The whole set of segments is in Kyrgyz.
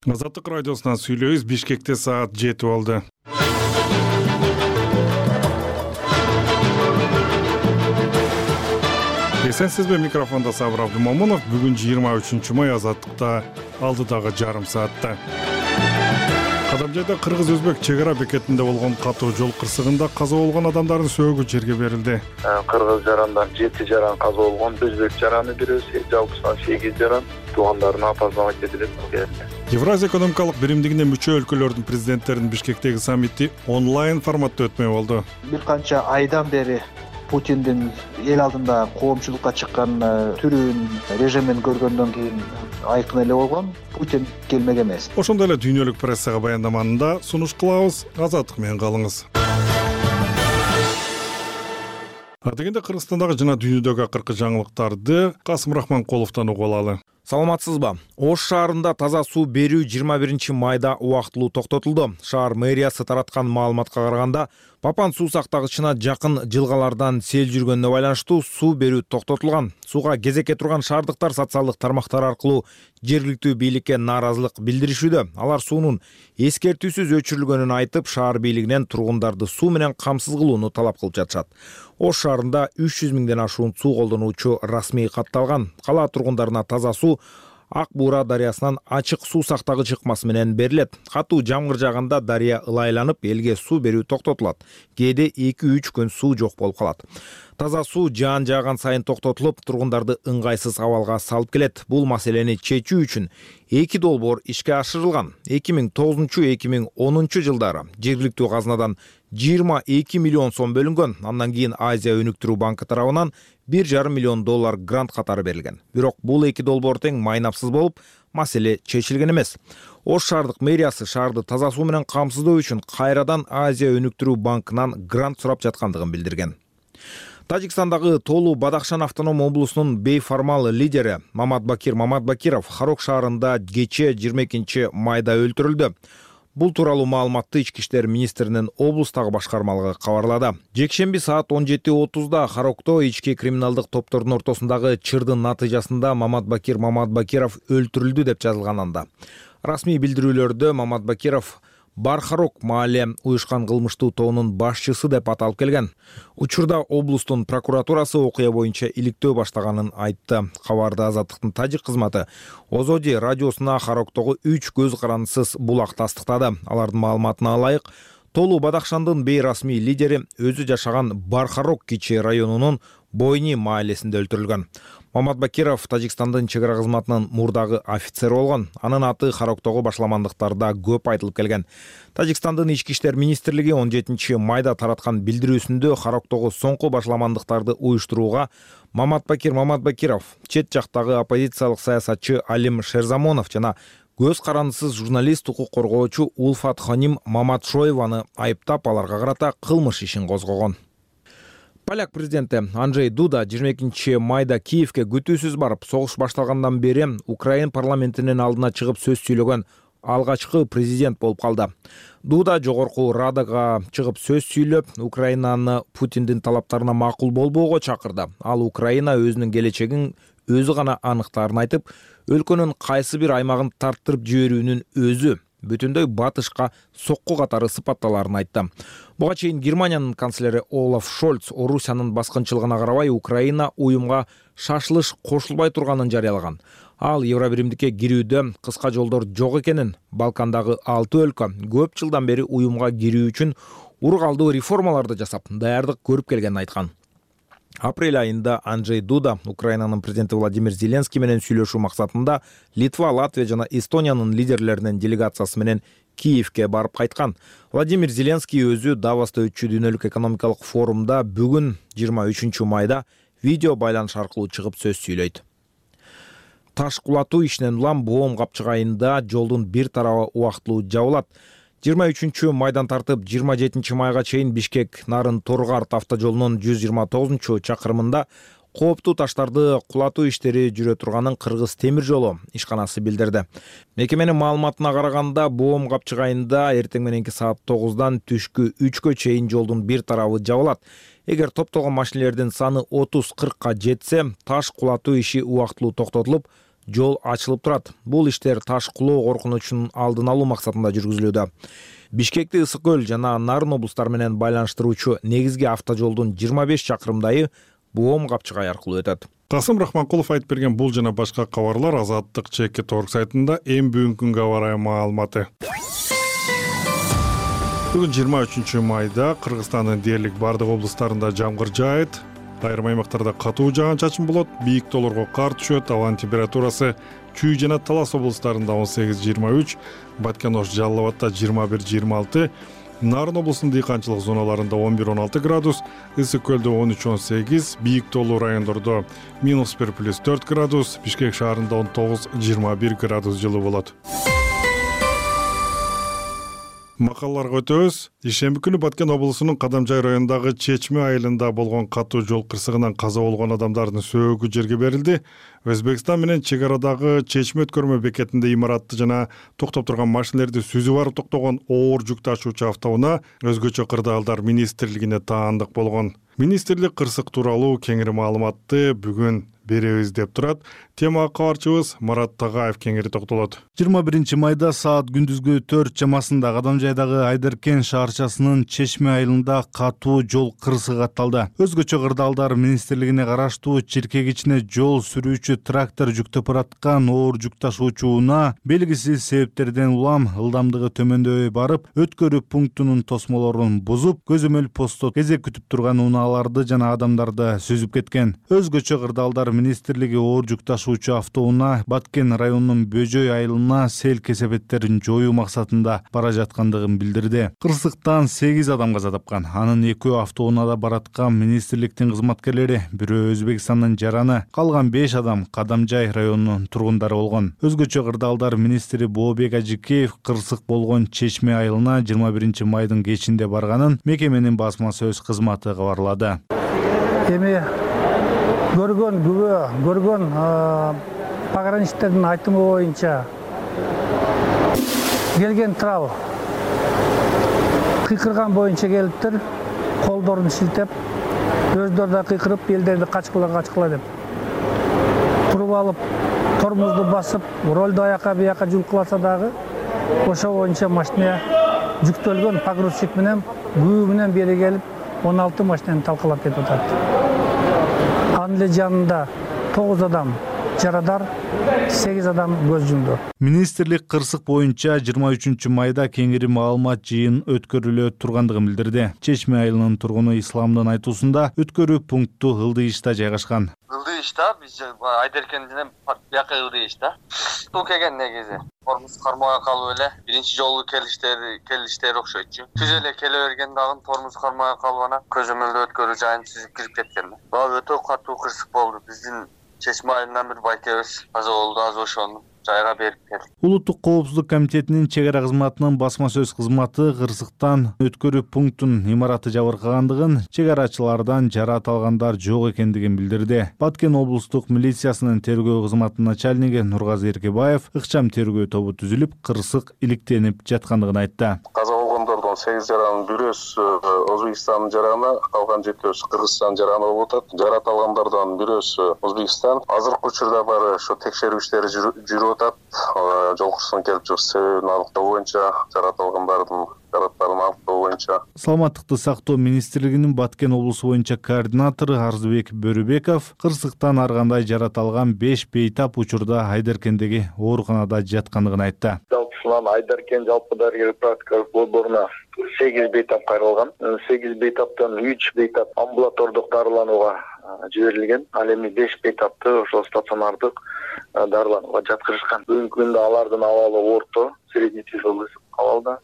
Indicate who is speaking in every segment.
Speaker 1: Азаттык радиосунан сүйлөйбүз. Бишкекте саат 7 болду. Эсенсизби, микрофонда Сабыр Абдымомунов. Бүгүн 23 май, Азаттыкта алдыдагы жарым саатта. Кадамжайда кыргыз-өзбек чек ара бекетинде болгон катуу жол кырсыгында каза болгон адамдардын сөөгү жерге берилди.
Speaker 2: Кыргыз жарандан 7 жаран каза болгон, өзбек жараны бирөөсү, жалпысынан 8 жаран туугандарына апасына кетирип келди.
Speaker 1: Евразия экономикалык биримдигине мүчө өлкөлөрдүн президенттеринин Бишкектеги саммити онлайн форматта өтмөй болду.
Speaker 3: Бир канча айдан бери Путиндин эл алдында коомчулукка чыккан түрүн, режимин көргөндөн кийин айкын эле болгон. Путин келмек эмес.
Speaker 1: Ошондой эле дүйнөлүк прессага баяндаманында сунуш кылабыз. Азаттык менен калыңыз. Дегенде Кыргызстандагы жана дүйнөдөгү акыркы жаңылыктарды Касым Рахманкуловдон угуп алалы.
Speaker 4: Саламатсызбы? Ош шаарында таза суу берүү 21 майда убактылуу токтотулду. Шаар мэриясы тараткан маалыматка караганда, Папан суу сактагычына жакын жылгалардан сел жүргөнүнө байланыштуу суу берүү токтотулган. Сууга кезекке турган шаардыктар социалдык тармактар аркылуу жергиликтүү бийликке нааразылык билдиришүүдө. Алар суунун эскертүүсүз өчүрүлгөнүн айтып, шаар бийлигинен тургундарды суу менен камсыз кылууну талап кылып жатышат. Ош шаарында 300 миңден ашуун суу колдонуучу расмий катталган. Кала тургундарына таза суу Ак Буура дарыясынан ачык суу сактагыч ыкмасы менен берилет. Катуу жамгыр жааганда дарыя ылайланып, элге суу берүү токтотулат. Кээде 2-3 күн суу жок болуп калат. Таза суу жаан жааган сайын токтотулуп, тургундарды ыңгайсыз абалга салып келет. Бул маселени чечүү үчүн 2 долбоор ишке ашырылган. 2009-2010 жылдары жергиликтүү казынадан 22 миллион сом бөлүнгөн. Андан кийин Азия өнүктүрүү банкы тарабынан $1,5 миллион грант катары берилген. Бирок бул 2 долбоор тең майнапсыз болуп, маселе чечилген эмес. Ош шаардык мэриясы шаарды таза суу менен камсыздоо үчүн кайрадан Азия өнүктүрүү банкынан грант сурап жаткандыгын билдирген. Тажикстандагы Толу Бадахшан автоном облусунун бейформал лидери Маматбакир Маматбакиров Харок шаарында кечээ 22 майда өлтүрүлдү. Бул тууралуу маалыматты Ички иштер министринин облустагы башкармалыгы кабарлады. Жекшемби саат 17:30 Харокто ички криминалдык топтордун ортосундагы чырдын натыйжасында Маматбакир Маматбакиров өлтүрүлдү деп жазылган анда. Расмий билдирүүлөрдө Маматбакиров Бархарок маале уюшкан кылмыштуу тобунун башчысы деп аталып келген. Учурда облустун прокуратурасы окуя боюнча иликтөө баштаганын айтты. Кабарда Азаттыктын тажик кызматы Озоди радиосуна Хароктогу 3 көз карандысыз булак тастыктады. Алардын маалыматына ылайык, Толу Бадахшандын бейрасмий лидери өзү жашаган Бархарок кичи районунун Бойни маалесинде өлтүрүлгөн. Маматбакиров Тажикстандын чек ара кызматынын мурдагы офицери болгон. Анын аты Хароктогу башламандыктарда көп айтылып келген. Тажикстандын ички иштер министрлиги 17 майда тараткан билдирүүсүндө Хароктогу соңку башламандыктарды уюштурууга Маматбакир Маматбакиров, чет жактагы оппозициялык саясатчы Алим Шерзамонов жана көз карандысыз журналист, укук коргоочу Улфат Ханим Маматшоеваны айыптап, аларга карата кылмыш ишин козгогон. Поляк президенти Анджей Дуда 22 майда Киевке күтүүсүз барып, согуш башталгандан бери Украин парламентинин алдына чыгып сөз сүйлөгөн алгачкы президент болуп калды. Дуда жогорку радага чыгып сөз сүйлөп, Украинаны Путиндин талаптарына макул болбоого чакырды. Ал Украина өзүнүн келечегин өзү гана аныктаарын айтып, өлкөнүн кайсы бир аймагын тарттырып жиберүүнүн өзү бүтүндөй батышка сокку катары сыпатталарын айтты. Буга чейин Германиянын канцлери Олаф Шольц Орусиянын баскынчылыгына карабай Украина уюмга шашылыш кошулбай турганын жарыялаган. Ал Евробиримдикке кирүүдө кыска жолдор жок экенин, Балкандагы 6 өлкө көп жылдан бери уюмга кирүү үчүн ургалдуу реформаларды жасап, даярдык көрүп келгенин айткан. Апрель айында Анджей Дуда Украинанын президенти Владимир Зеленский менен сүйлөшүү максатында Литва, Латвия жана Эстониянын лидерлеринин делегациясы менен Киевке барып кайткан. Владимир Зеленский өзү Давоста өтчү дүйнөлүк экономикалык форумда бүгүн 23 майда видео байланыш аркылуу чыгып сөз сүйлөйт. Таш кулатуу ишинен улам Боом капчыгы айында жолдун бир тарабы убактылуу жабылат. 23 майдан тартып 27 майга чейин Бишкек Нарын Торгарт автожолунун 129 чакырымында кооптуу таштарды кулатуу иштери жүрө турганын Кыргыз темир жолу ишканасы билдирди. Мекеменин маалыматына караганда, Боом капчыгы айында эртең мененки саат 9-дан түшкү 3-кө чейин жолдун бир тарабы жабылат. Эгер топтогон машинелердин саны 30-40ка жетсе, таш кулатуу иши убактылуу токтотулуп, жол ачылып турат. Бул иштер таш кулоо коркунучунун алдын алуу максатында жүргүзүлүүдө. Бишкекти Ысык көл жана Нарын облустары менен байланыштыруучу негизги автожолдун 25 чакырымдайы Буом Капчыгай аркылуу өтөт.
Speaker 1: Касым Рахманкулов айтып берген бул жана башка кабарлар Азаттык ЧК.org сайтында эң бүгүнкү күнгө аба ырайы маалыматы. Бүгүн 23 майда Кыргызстандын дээрлик бардык облустарында жамгыр жаайт. Айрым аймактарда катуу жаан-чачын болот, бийик тоолорго кар түшөт, абанын температурасы Чүй жана Талас облустарында 18-23, Баткен-Ош, Жалал Абадта 21-26, Нарын облусунун дыйканчылык зоналарында 11-16 градус, Ысык көлдө 13-18, бийик тоолуу райондордо -1+4 градус, Бишкек шаарында 19-21 градус жылуу болот. Макалларга өтөбүз. Ишемби күнү Баткен облусунун Кадамжай районундагы Чечме айылында болгон катуу жол кырсыгынан каза болгон адамдардын сөөгү жерге берилди. Өзбекстан менен чек арадагы Чечме өткөрмө бекетинде имаратты жана токтоп турган машинелерди сүзүп барып токтогон оор жүк ташуучу автоунаа өзгөчө кырдаалдар министрлигине таандык болгон. Министрлик кырсык тууралуу кеңири маалыматты бүгүн беребиз деп турат. Тема кабарчыбыз Марат Тагаев кеңири токтолот.
Speaker 5: 21 майда саат күндүзгү 4 чамасында Кадамжайдагы Айдаркен шаарчасынын Чечме айылында катуу жол кырсыгы катталды. Өзгөчө кырдаалдар министрлигине караштуу чиркегичине жол сүрүүчү трактор жүктөп бараткан оор жүк ташуучу унаа белгисиз себептерден улам ылдамдыгы төмөндөбөй барып, өткөрүү пунктунун тосмолорун бузуп, көзөмөл постто кезек күтүп турган унааларды жана адамдарды сүзүп кеткен. Өзгөчө кырдаалдар министрлиги оор жүк ташуучу автоунаа Баткен районунун Бөжөй айылына сел кесепеттерин жоюу максатында бара жаткандыгын билдирди. Кырсыктан 8 адам каза тапкан. Анын 2 автоунаада бараткан министрликтин кызматкерлери, бирөө Өзбекстандын жараны, калган 5 адам Кадамжай районунун тургундары болгон. Өзгөчө кырдаалдар министри Бообек Ажикеев кырсык болгон Чечме айылына 21 майдын кечинде барганын мекеменин басма сөз кызматы кабарлады.
Speaker 6: Эми көргөн пограничтердин айтымы боюнча келген трал кыйкырган боюнча келиптир, колдорун шилтеп, өздөрү да кыйкырып, элдерди качкыла деп. Туруп алып, тормозду басып, ролду аяка бияка жулкуласа дагы, ошо боюнча машина жүктөлгөн погрузчик менен күбө менен бери келип, 16 машинаны талкалап кетип атат. Анын эле жанында 9 адам жарадар, 8 адам көз жумду.
Speaker 5: Министрлик кырсык боюнча 23 майда кеңири маалымат жыйын өткөрүлө тургандыгын билдирди. Чечме айылынын тургуну Исламдын айтуусунда өткөрүү пункту Ылдыйышта жайгашкан.
Speaker 7: Ылдыйышта биз Айдаркенден бияка Ылдыйышта. Бул келген негизи. Тормуз кармай калып эле биринчи жолу келиштери окшойчу. Түз эле келе берген дагы тормуз кармай калып анан көзөмөлдө өткөрүү жайын сүзүп кирип кеткен. Өтө катуу кырсык болду. Биздин Чечме айылынан бир байкебиз каза болду, аз ошону жайга берип келди.
Speaker 5: Улуттук коопсуздук комитетинин чек ара кызматынын басма сөз кызматы кырсыктан өткөрүү пунктунун имараты жабыркагандыгын, чек арачылардан жараат алгандар жок экендигин билдирди. Баткен облустук милициясынын тергөө кызматынын начальниги Нургазы Эркебаев ыкчам тергөө тобу түзүлүп, кырсык иликтенип жаткандыгын айтты.
Speaker 8: Каза болгондордун 8 жаранын бирөөсү Өзбекстандын жараны, калган 7-өсү Кыргызстандын жараны болуп атат. Жараат алгандардан бирөөсү Өзбекстан. Азыркы учурда бары ошо текшерүү иштери жүрүп атат. Жол кырсыгынын келип чыгыш себебин аныктоо боюнча, жараат алгандардын жарааттарын аныктоо боюнча.
Speaker 5: Саламаттыкты сактоо министрлигинин Баткен облусу боюнча координатору Арзыбек Бөрүбеков кырсыктан ар кандай жараат алган 5 бейтап учурда Айдаркендеги ооруканада жаткандыгын айтты.
Speaker 2: Жалпысынан Айдаркен жалпы дарыгер практикалык борборуна 8 бейтап кайрылган. 8 бейтаптан 3 бейтап амбулатордук дарыланууга жиберилген. Ал эми 5 бейтапты ошол стационардык дарыланууга жаткырышкан. Бүгүнкү күндө алардын абалы орто, средний тяжелый абалда.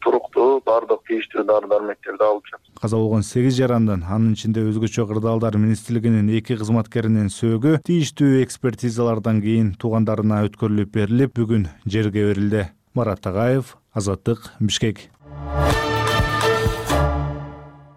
Speaker 2: Туруктуу баардык тийиштүү дары-дармектерди алып жатат.
Speaker 5: Каза болгон 8 жарандын, анын ичинде өзгөчө кырдаалдар министрлигинин 2 кызматкеринин сөөгү тийиштүү экспертизалардан кийин туугандарына өткөрүлүп берилип, бүгүн жерге берилди. Марат Тагаев, Азаттык, Бишкек.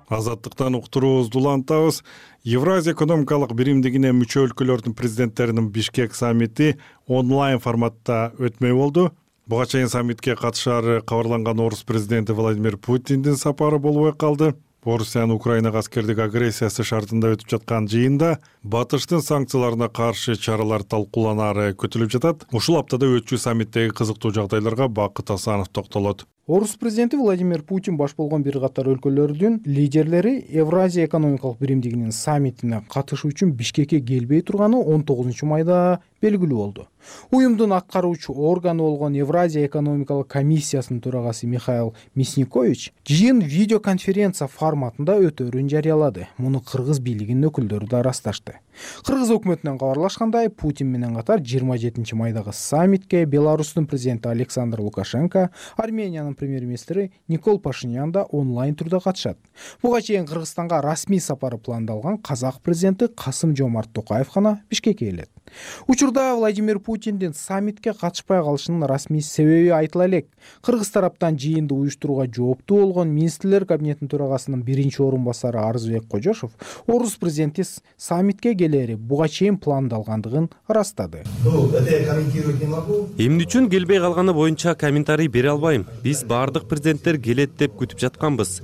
Speaker 1: Азаттыктан уктуруубузду улантабыз. Евразия экономикалык биримдигине мүчө өлкөлөрдүн президенттеринин Бишкек саммити онлайн форматта өтмөй болду. Буга чейин саммитке катышаары кабарланган орус президенти Владимир Путиндин сапары болбой калды. Орусиянын Украинага аскердик агрессиясы шартында өтүп жаткан жыйында батыштын санкцияларына каршы чаралар талкууланары күтүлүп жатат. Ушул аптада өтчү саммиттеги кызыктуу жагдайларга Бакыт Асанов токтолот.
Speaker 9: Орус президенти Владимир Путин баш болгон бир катар өлкөлөрдүн лидерлери Евразия экономикалык биримдигинин саммитине катышуу үчүн Бишкекке келбей турганы 19 майда белгилүү болду. Уюмдун аткаруучу органы болгон Евразия экономикалык комиссиясынын төрагасы Михаил Мясникович жыйын видеоконференция форматында өтөөрүн жарыялады. Муну кыргыз бийлигинин өкүлдөрү да ырасташты. Кыргыз өкмөтүнөн кабарлашкандай, Путин менен катар 27 майдагы саммитке Беларустун президенти Александр Лукашенко, Армениянын премьер-министри Никол Пашинян да онлайн түрдө катышат. Буга чейин Кыргызстанга расмий сапары пландалган казак президенти Касым-Жомарт Токаев гана Бишкекке келет. Учурда Владимир Путиндин саммитке катышпай калышынын расмий себеби айтыла элек. Кыргыз тараптан жыйынды уюштурууга жооптуу болгон министрлер кабинетинин төрагасынын биринчи орун басары Арзыбек Кожошов орус президенти саммитке келери буга чейин пландалгандыгын ырастады.
Speaker 10: Эмне үчүн келбей калганы боюнча комментарий бере албайм. Биз бардык президенттер келет деп күтүп жатканбыз.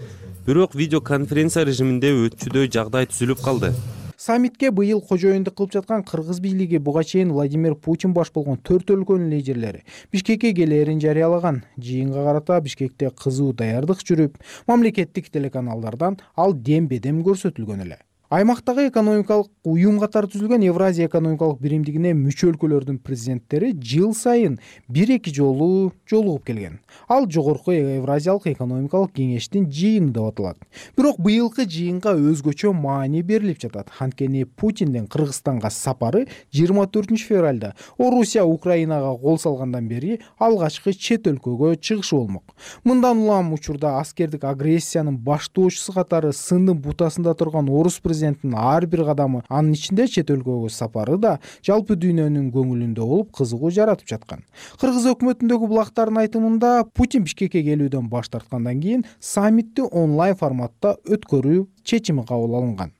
Speaker 10: Бирок видеоконференция режиминде өтчүдөй жагдай түзүлүп калды.
Speaker 9: Саммитке быйыл кожоюндук кылып жаткан кыргыз бийлиги буга чейин Владимир Путин баш болгон 4 өлкөнүн лидерлери Бишкекке келерин жарыялаган. Жыйынга карата Бишкекте кызуу даярдык жүрүп, мамлекеттик телеканалдардан ал дем-бедем көрсөтүлгөн эле. Аймактагы экономикалык уюм катары түзүлгөн Евразия экономикалык биримдигине мүчө өлкөлөрдүн президенттери жыл сайын 1-2 жолу жолугуп келген. Ал жогорку Евразиялык экономикалык кеңештин жыйыны деп аталат. Бирок быйылкы жыйынга өзгөчө маани берилип жатат. Анткени Путиндин Кыргызстанга сапары 24 февралда Орусия Украинага кол салгандан бери алгачкы чет өлкөгө чыгышы болмок. Мындан улам учурда аскердик агрессиянын баштоочусу катары сындын бутасында турган орус президентин ар бир кадамы, анын ичинде чет өлкөгө сапары да жалпы дүйнөнүн көңүлүндө болуп кызыгуу жаратып жаткан. Кыргыз өкмөтүндөгү булактардын айтымында Путин Бишкекке келүүдөн баш тарткандан кийин саммитти онлайн форматта өткөрүү чечими кабыл алынган.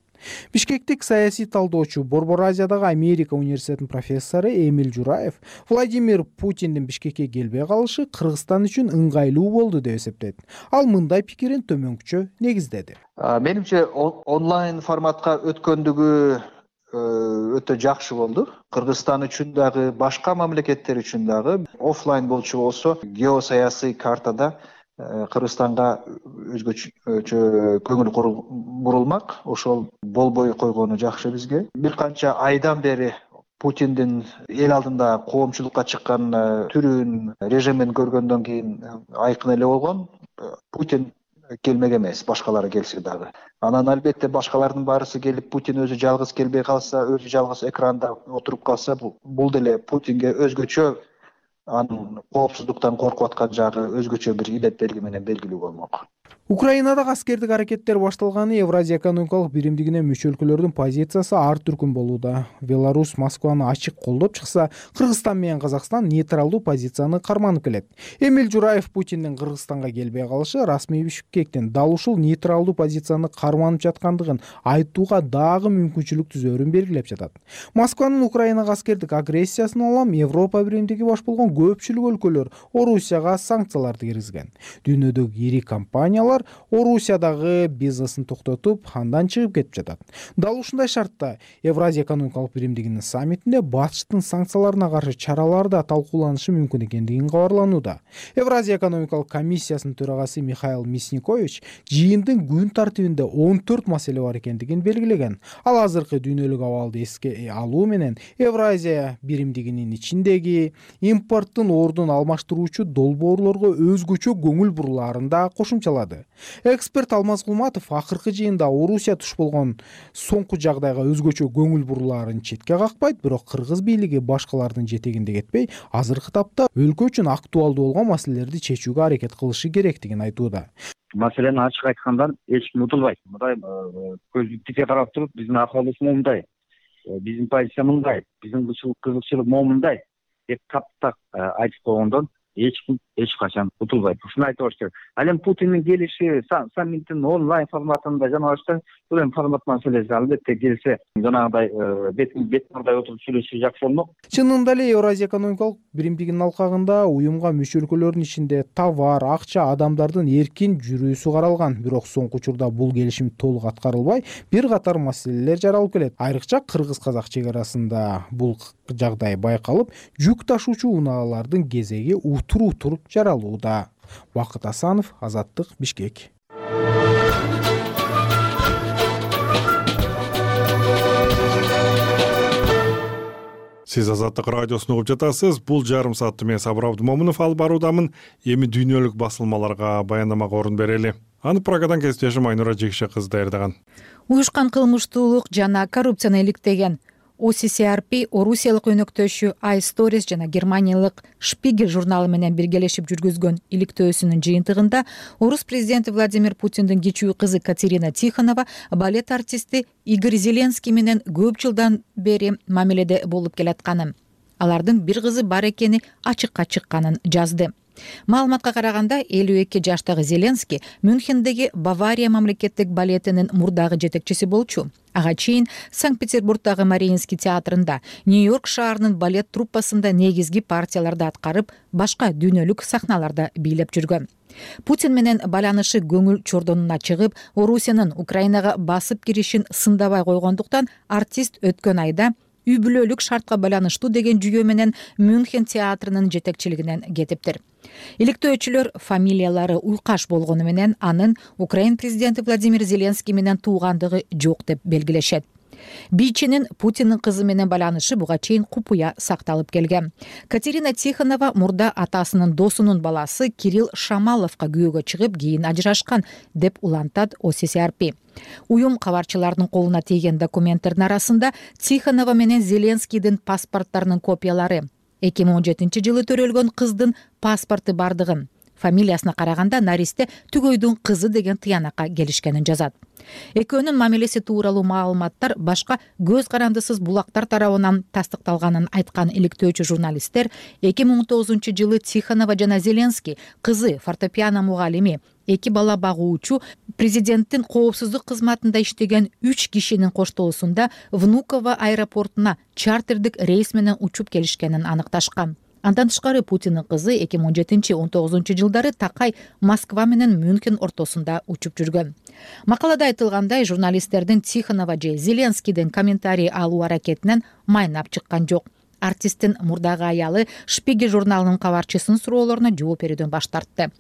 Speaker 9: Бишкектик саясий талдоочу Борбор Азиядагы Америка университетинин профессору Эмиль Жураев Владимир Путиндин Бишкекке келбей калышы Кыргызстан үчүн ыңгайлуу болду деп эсептейт. Ал мындай пикирин төмөнкүчө негиздеди.
Speaker 3: Менимче онлайн форматка өткөндүгү өтө жакшы болду. Кыргызстан үчүн дагы, башка мамлекеттер үчүн дагы офлайн болчу болсо, геосаясий картада Кыргызстанга өзгөчө көңүл бурулмак. Ошол болбой койгону жакшы бизге. Бир канча айдан бери Путиндин эл алдында коомчулукка чыккан түрүн, режимин көргөндөн кийин айкын эле болгон. Путин келмек эмес, башкалары келсе дагы. Анан албетте башкалардын баарысы келип, Путин өзү жалгыз келбей калса, өзү жалгыз экранда отуруп калса, бул деле Путинге өзгөчө, анын коопсуздуктан коркуп аткан жагы өзгөчө бир илет белги менен белгилүү болмок.
Speaker 9: Украинадагы аскердик аракеттер башталганы Евразия экономикалык биримдигине мүчө өлкөлөрдүн позициясы ар түркүн болууда. Беларусь Москваны ачык колдоп чыкса, Кыргызстан менен Казакстан нейтралдуу позицияны карманып келет. Эмиль Жураев Путиндин Кыргызстанга келбей калышы расмий Бишкектин дал ушул нейтралдуу позицияны карманып жаткандыгын айтууга дагы мүмкүнчүлүк түзөөрүн белгилеп жатат. Москванын Украинага аскердик агрессиясынан улам Европа биримдиги баш болгон көпчүлүк өлкөлөр Орусияга санкцияларды киргизген. Дүйнөдөгү ири компаниялар Орусиядагы бизнесин токтотуп, андан чыгып кетип жатат. Дал ушундай шартта Евразия экономикалык биримдигинин саммитинде батыштын санкцияларына каршы чаралар да талкууланышы мүмкүн экендигин кабарланууда. Евразия экономикалык комиссиясынын төрагасы Михаил Мясникович жыйындын күн тартибинде 14 маселе бар экендигин белгилеген. Ал азыркы дүйнөлүк абалды эске алуу менен Евразия биримдигинин ичиндеги импорттун ордун алмаштыруучу долбоорлорго өзгөчө көңүл бурулаарын да кошумчалады. Эксперт Алмаз Кулматов акыркы жыйында Орусия туш болгон соңку жагдайга өзгөчө көңүл бурулаарын четке какпайт, бирок кыргыз бийлиги башкалардын жетегинде кетпей, азыркы тапта өлкө үчүн актуалдуу болгон маселелерди чечүүгө аракет кылышы керектигин айтууда.
Speaker 11: Маселени ачык айтканда эч ким утулбайт. Мындай көздү тике карап туруп, биздин акыбыбыз мындай, биздин позиция мындай, биздин кызыкчылык мындай деп таптак айтып койгондон эч ким эч качан утулбайт. Ушуну айтып коюш керек. Ал эми Путиндин келиши саммиттин онлайн форматында жана башка бул эми формат маселеси. Албетте келсе жанагыдай бетмурдай отуруп сүйлөшсө жакшы болмок.
Speaker 9: Чынында эле Евразия экономикалык биримдигинин алкагында уюмга мүчө өлкөлөрдүн ичинде товар, акча, адамдардын эркин жүрүүсү каралган. Бирок соңку учурда бул келишим толук аткарылбай, бир катар маселелер жаралып келет. Айрыкча кыргыз-казак чек арасында бул жагдай байкалып, жүк ташуучу унаалардын кезеги утур жаралууда. Бакыт Асанов, Азаттык, Бишкек.
Speaker 1: Сиз Азаттык радиосун угуп жатасыз. Бул жарым саатты мен Сабыр Абдымомунов алып баруудамын. Эми дүйнөлүк басылмаларга баяндамага орун берели. Аны Прагадан кесиптешим Айнура Жекше кызы даярдаган.
Speaker 12: Уюшкан кылмыштуулук жана коррупцияны иликтеген OCCRP Орусиялык өнөктөшү iStories жана германиялык Spiegel журналы менен биргелешип жүргүзгөн иликтөөсүнүн жыйынтыгында орус президенти Владимир Путиндин кичүү кызы Катерина Тихонова балет артисти Игорь Зеленский менен көп жылдан бери мамиледе болуп келатканын, алардын бир кызы бар экени ачыкка чыкканын жазды. Маалыматка караганда 52 жаштагы Зеленский Мюнхендеги Бавария мамлекеттик балетинин мурдагы жетекчиси болчу. Ага чейин Санкт-Петербургдагы Мариинский театрында, Нью-Йорк шаарынын балет труппасында негизги партияларды аткарып, башка дүйнөлүк сахналарда бийлеп жүргөн. Путин менен байланышы көңүл чордонуна чыгып, Орусиянын Украинага басып киришин сындабай койгондуктан артист өткөн айда үй бүлөлүк шартка байланыштуу деген жүйө менен Мюнхен театрынын жетекчилигинен кетиптир. Иликтөөчүлөр фамилиялары уйкаш болгону менен анын Украин президенти Владимир Зеленский менен туугандыгы жок деп белгилешет. Бийчинин Путиндин кызы менен байланышы буга чейин купуя сакталып келген. Катерина Тихонова мурда атасынын досунун баласы Кирилл Шамаловго күйөөгө чыгып, кийин ажырашкан деп улантат OCCRP. Уюм кабарчылардын колуна тийген документтердин арасында Тихонова менен Зеленскийдин паспорттарынын копиялары, 2017 жылы төрөлгөн кыздын паспорту бардыгын, фамилиясына караганда наристе Түгөйдүн кызы деген тыянакка келишкенин жазат. Экөөнүн мамилеси тууралуу маалыматтар башка көз карандысыз булактар тарабынан тастыкталганын айткан иликтөөчү журналисттер 2019 жылы Тихонова жана Зеленский кызы фортепиано мугалими, 2 бала багуучу, президенттин коопсуздук кызматында иштеген 3 кишинин коштоосунда Внуково аэропортуна чартердик рейс менен учуп келишкенин аныкташкан. Андан тышкары Путиндин кызы 2017-19 жылдары такай Москва менен Мюнхен ортосунда учуп жүргөн. Макалада айтылгандай, журналисттердин Тихонова же Зеленскийдин комментарий алуу аракетинен майнап чыккан жок. Артисттин мурдагы аялы Spiegel журналынын кабарчысынын суроолоруна жооп берүүдөн баш тартты.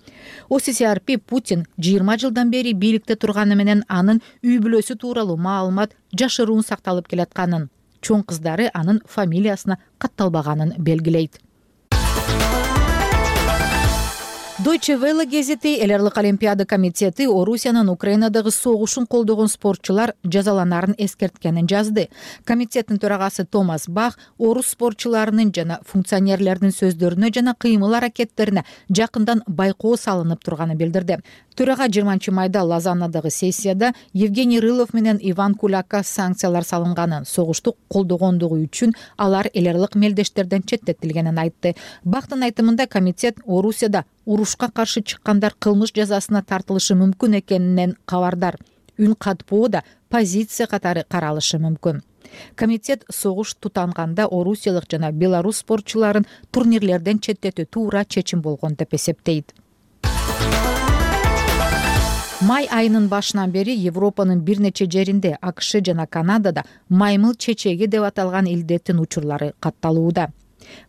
Speaker 12: OCCRP Путин 20 жылдан бери бийликте турганы менен анын үй бүлөсү тууралуу маалымат жашыруун сакталып келатканын, чоң кыздары анын фамилиясына катталбаганын белгилейт. Deutsche Welle гезити Эл Аралык Олимпиада комитети Орусиянын Украинадагы согушун колдогон спортчулар жазаланарын эскерткенин жазды. Комитеттин төрагасы Томас Бах орус спортчуларынын жана функционерлердин сөздөрүнө жана кыймыл аракеттерине жакындан байкоо салынып турганын билдирди. Төрага 20 майда Лозаннадагы сессияда Евгений Рылов менен Иван Кулакка санкциялар салынганын, согушту колдогондугу үчүн алар эл аралык мелдештерден четтетилгенин айтты. Бактын айтымында комитет Орусияда урушка каршы чыккандар кылмыш жазасына тартылышы мүмкүн экенинен кабардар. Үн катпоо да позиция катары каралышы мүмкүн. Комитет согуш тутанганда орусиялык жана белорус спортчуларын турнирлерден четтетүү туура чечим болгон деп эсептейт. Май айынын башынан бери Европанын бир нече жеринде, АКШ жана Канадада маймыл чечеги деп аталган илдеттин учурлары катталууда.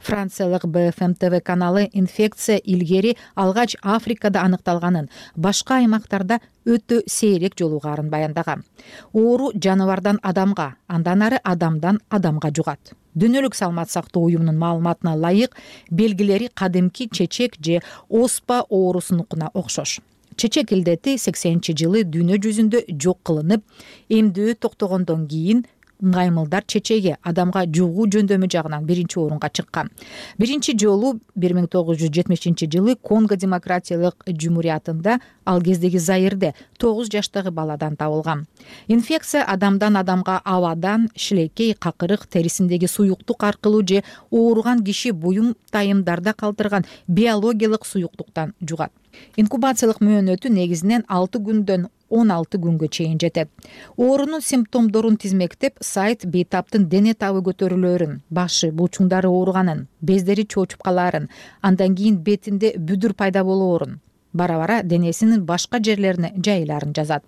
Speaker 12: Франциялык BFM TV каналы инфекция илгери алгач Африкада аныкталганын, башка аймактарда өтө сейрек жолугарын баяндаган. Оору жаныбардан адамга, андан ары адамдан адамга жугат. Дүйнөлүк саламат сактоо уюмунун маалыматына ылайык, белгилери кадимки чечек же оспа оорусунукуна окшош. Чечек илдети 80-жылы дүйнө жүзүндө жок кылынып, эмдөө токтогондон кийин ыңгаймылдар чечеги адамга жугуу жөндөмү жагынан 1-орунга чыккан. Биринчи жолу 1970-жылы Конго демократиялык жумуриятында, ал кездеги Заирде 9 жаштагы баладан табылган. Инфекция адамдан адамга абадан, шилекей, какырык, терисиндеги суюктук аркылуу же ооруган киши буюм тайымдарда калтырган биологиялык суюктуктан жугат. Инкубациялык мөөнөтү негизинен 6 күндөн 16 күнгө чейин жетет. Оорунун симптомдорун тизмектеп, сайт бейтаптын дене табы көтөрүлөрүн, башы, булчуңдары ооруганын, бездери чоочуп калаарын, андан кийин бетинде бүдүр пайда болоорун, бара-бара денесинин башка жерлерине жайылаарын жазат.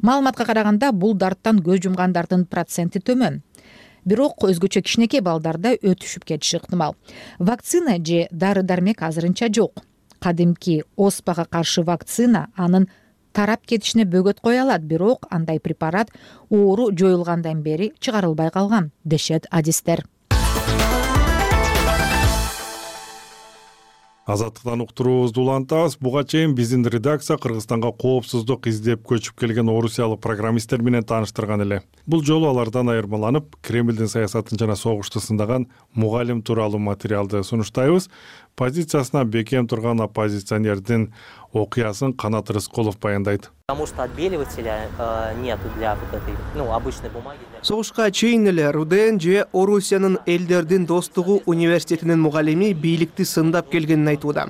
Speaker 12: Маалыматка караганда, бул дарттан көз жумгандардын проценти төмөн. Бирок өзгөчө кичинекей балдарда өтүшүп кетиши ыктымал. Вакцина же дары-дармек азырынча жок. Кадимки оспага каршы вакцина анын тарап кетишине бөгөт кое алат, бирок андай препарат оору жоюлгандан бери чыгарылбай калган, дешет адистер.
Speaker 1: Азаттыктан уктуруубузду улантабыз. Буга чейин биздин редакция Кыргызстанга коопсуздук издеп көчүп келген орусиялык программисттер менен тааныштырган эле. Бул жолу алардан айырмаланып, Кремлдин саясатын жана согушту сындаган мугалим тууралуу материалды сунуштайбыз. Позициясына бекем турган оппозиционердин окуясын Канат Рыскулов баяндайт.
Speaker 13: Потому что отбеливателя нету для вот этой, обычной бумаги.
Speaker 14: Согушка чейин эле РУДН же Орусиянын элдердин достугу университетинин мугалими бийликти сындап келгенин айтууда.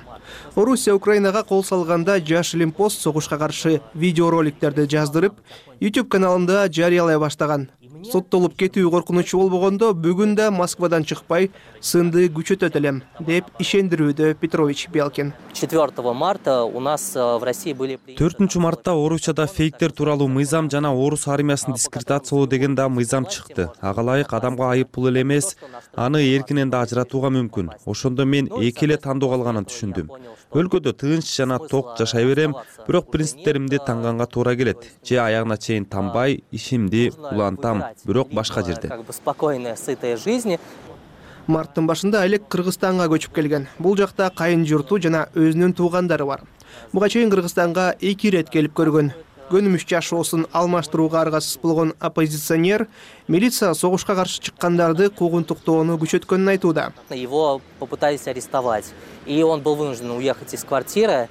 Speaker 14: Орусия Украинага кол салганда Жаш Лимпост согушка каршы видеороликтерди жаздырып, YouTube каналында жарыялай баштаган. Соттолуп кетүү коркунучу болбогондо бүгүн да Москвадан чыкпай сынды күчөтөт элем, деп ишендирүүдө Петрович Белкин.
Speaker 13: 4 марта у нас в России были
Speaker 10: 4 мартта Орусияда фейктер тууралуу мыйзам жана орус армиясын дискредитациялоо деген да мыйзам чыкты. Ага ылайык адамга айып пул эле эмес, аны эркинен да ажыратууга мүмкүн. Ошондо мен эки эле тандоо калганын түшүндүм. Өлкөдө тынч жана ток жашай берем, бирок принциптеримди таңганга туура келет. Же аягына чейин танбай, ишимди улантам, бирок башка жерде.
Speaker 13: Спокойная, сытая жизнь.
Speaker 14: Марттын башында Алек Кыргызстанга көчүп келген. Бул жакта кайын журту жана өзүнүн туугандары бар. Буга чейин Кыргызстанга 2 рет келип көргөн. Көнүмүш жашоосун алмаштырууга аргасыз болгон оппозиционер милиция согушка каршы чыккандарды куугунтуктоону күчөткөнүн айтууда.
Speaker 13: Его попытались арестовать, и он был вынужден уехать из квартиры.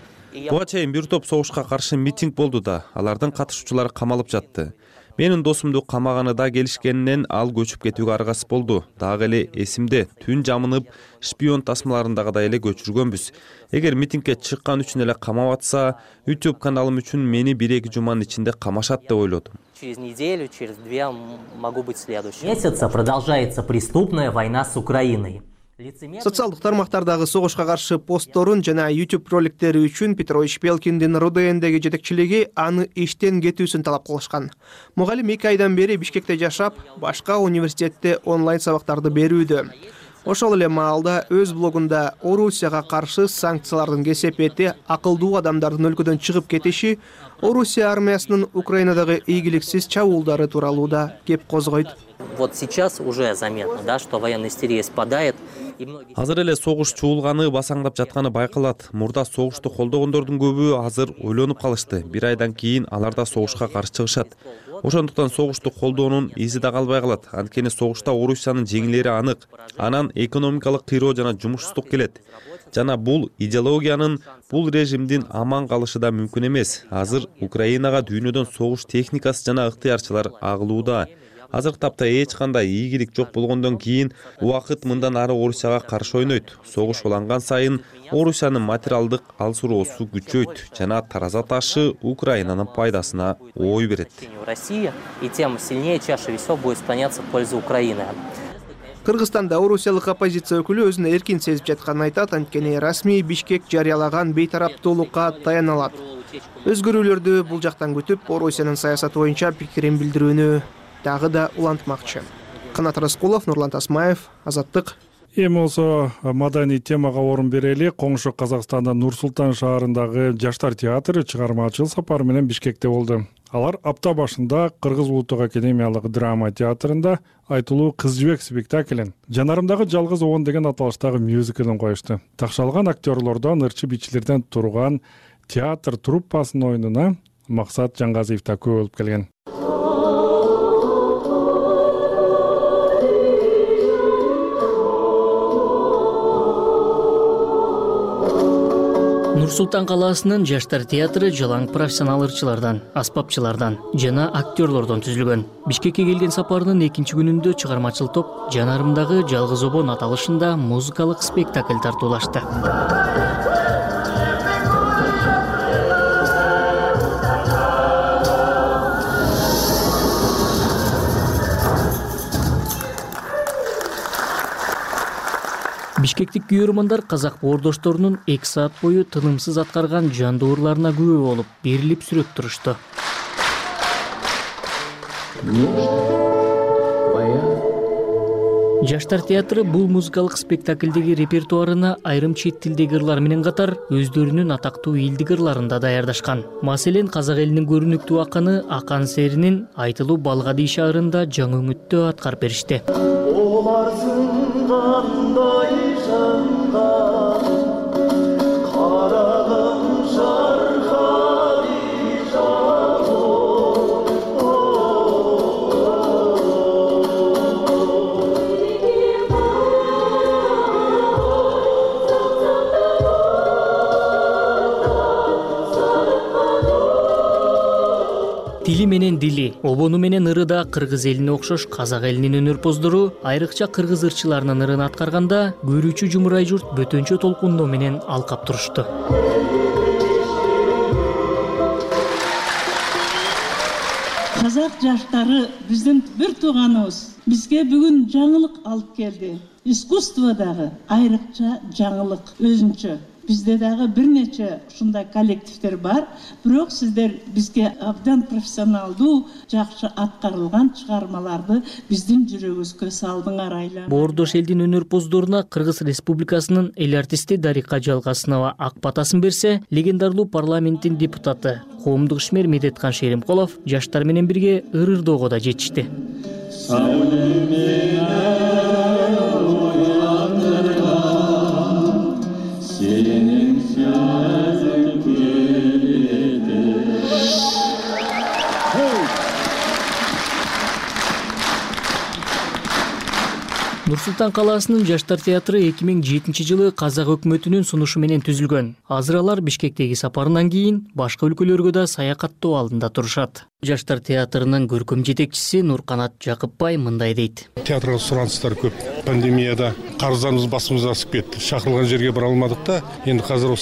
Speaker 10: Буга чейин бир топ согушка каршы митинг болду да, алардын катышуучулары камалып жатты. Менин досумду камаганы да келишкенинен ал көчүп кетүүгө аргасыз болду. Дагы эле эсимде, түн жамынып, шпион тасмаларындагыдай эле көчүргөнбүз. Эгер митингге чыккан үчүн эле камап атса, YouTube каналым үчүн мени 1-2 жуманын ичинде камашат деп ойлодум.
Speaker 13: Через неделю, через 2 могу быть следующим.
Speaker 15: Месяца продолжается преступная война с Украиной.
Speaker 14: Социалдык тармактардагы согушка каршы постторун жана YouTube роликтери үчүн Петрович Белкиндин РУДНдеги жетекчилиги аны иштен кетүүсүн талап кылышкан. Мугалим 2 айдан бери Бишкекте жашап, башка университетте онлайн сабактарды берүүдө. Ошол эле маалда өз блогунда Орусияга каршы санкциялардын кесепети, акылдуу адамдардын өлкөдөн чыгып кетиши, Орусия армиясынын Украинадагы ийгиликсиз чабуулдары тууралуу да кеп козгойт.
Speaker 13: Вот сейчас уже заметно, да, что военная истерия спадает.
Speaker 10: Азыр эле согуш чуулганы, басаңдап жатканы байкалат. Мурда согушту колдогондордун көбү азыр ойлонуп калышты. 1 айдан кийин алар да согушка каршы чыгышат. Ошондуктан согушту колдоонун изи да калбай калат. Анткени согушта Орусиянын жеңилери анык. Анан экономикалык кыйроо жана жумушсуздук келет. Жана бул идеологиянын, бул режимдин аман калышы да мүмкүн эмес. Азыр Украинага дүйнөдөн согуш техникасы жана ыктыярчылар агылууда. Азыркы тапта эч кандай ийгилик жок болгондон кийин убакыт мындан ары Орусияга каршы ойнойт. Согуш уланган сайын Орусиянын материалдык алсыроосу күчөйт жана тараза ташы Украинанын пайдасына ой берет.
Speaker 13: Россия, и тем сильнее чаша весов будет склоняться в пользу Украины.
Speaker 14: Кыргызстанда орусиялык оппозиция өкүлү өзүн эркин сезип жатканын айтат, анткени расмий Бишкек жарыялаган бейтараптуулукка таяна алат. Өзгөрүүлөрдү бул жактан күтүп, Орусиянын саясаты боюнча пикирин билдирүүнү дагы да улантмакчы. Канат Рыскулов, Нурлан Тасмаев, Азаттык.
Speaker 1: Эми болсо маданий темага орун берели. Коңшу Казакстандын Нур-Султан шаарындагы Жаштар театры чыгармачыл сапар менен Бишкекте болду. Алар апта башында Кыргыз улуттук академиялык драма театрында айтылуу Кыз жибек спектаклин, Жанарымдагы жалгыз оон деген аталыштагы мюзиклин коюшту. Такшалган актерлордон, ырчы-бичилерден турган театр труппасынын оюнуна Максат Жангазиев да көп болуп келген.
Speaker 16: Нур Султан калаасынын жаштар театры жалаң профессионал ырчылардан, аспапчылардан жана актерлордон түзүлгөн. Бишкекке келген сапарынын экинчи күнүндө чыгармачыл топ Жанарымдагы жалгыз обон аталышында музыкалык спектакль тартуулашты. Бишкектик күйөрмандар казак боордошторунун 2 саат бою тынымсыз аткарган жандуу ырларына күбө болуп, берилип сүрөп турушту. Жаштар театры бул музыкалык спектаклдеги репертуарына айрым чет тилдеги ырлар менен катар өздөрүнүн атактуу элдик ырларын да даярдашкан. Маселен, казак элинин көрүнүктүү акыны Акан Серинин Айтылуу Балгади шаарында жаңы үмүттө аткарып беришти. Тили менен дили, обону менен ыры да кыргыз элине окшош казак элинин өнөрпоздору айрыкча кыргыз ырчыларынын ырын аткарганда көрүүчү жумурай журт бөтөнчө толкундоо менен алкап турушту.
Speaker 17: Казак жаштары биздин бир тууганыбыз. Бизге бүгүн жаңылык алып келди. Искусстводагы айрыкча жаңылык өзүнчө. Бизде дагы бир нече ушундай коллективдер бар, бирок сиздер бизге абдан профессионалдуу, жакшы аткарылган чыгармаларды биздин жүрөгүбүзгө салдыңар айла.
Speaker 16: Боордош элдин өнөрпоздоруна Кыргыз Республикасынын эл артисти Дарика Жалгасынова ак батасын берсе, легендарлуу парламенттин депутаты коомдук ишмер Медеткан Шеримкулов жаштар менен бирге ыр-ырдоого да жетишти. Нур Султан калаасынын жаштар театры 2007-жылы казак өкмөтүнүн сунушу менен түзүлгөн. Азыр алар Бишкектеги сапарынан кийин башка өлкөлөргө да саякаттоо алдында турушат. Жаштар театрынын көркөм жетекчиси Нурканат Жакыпбай мындай дейт.
Speaker 18: Театрга суранычтар көп. Пандемияда карыздарыбыз басымызга асып кетти. Шакырылган жерге бара алмадык да, энди азыр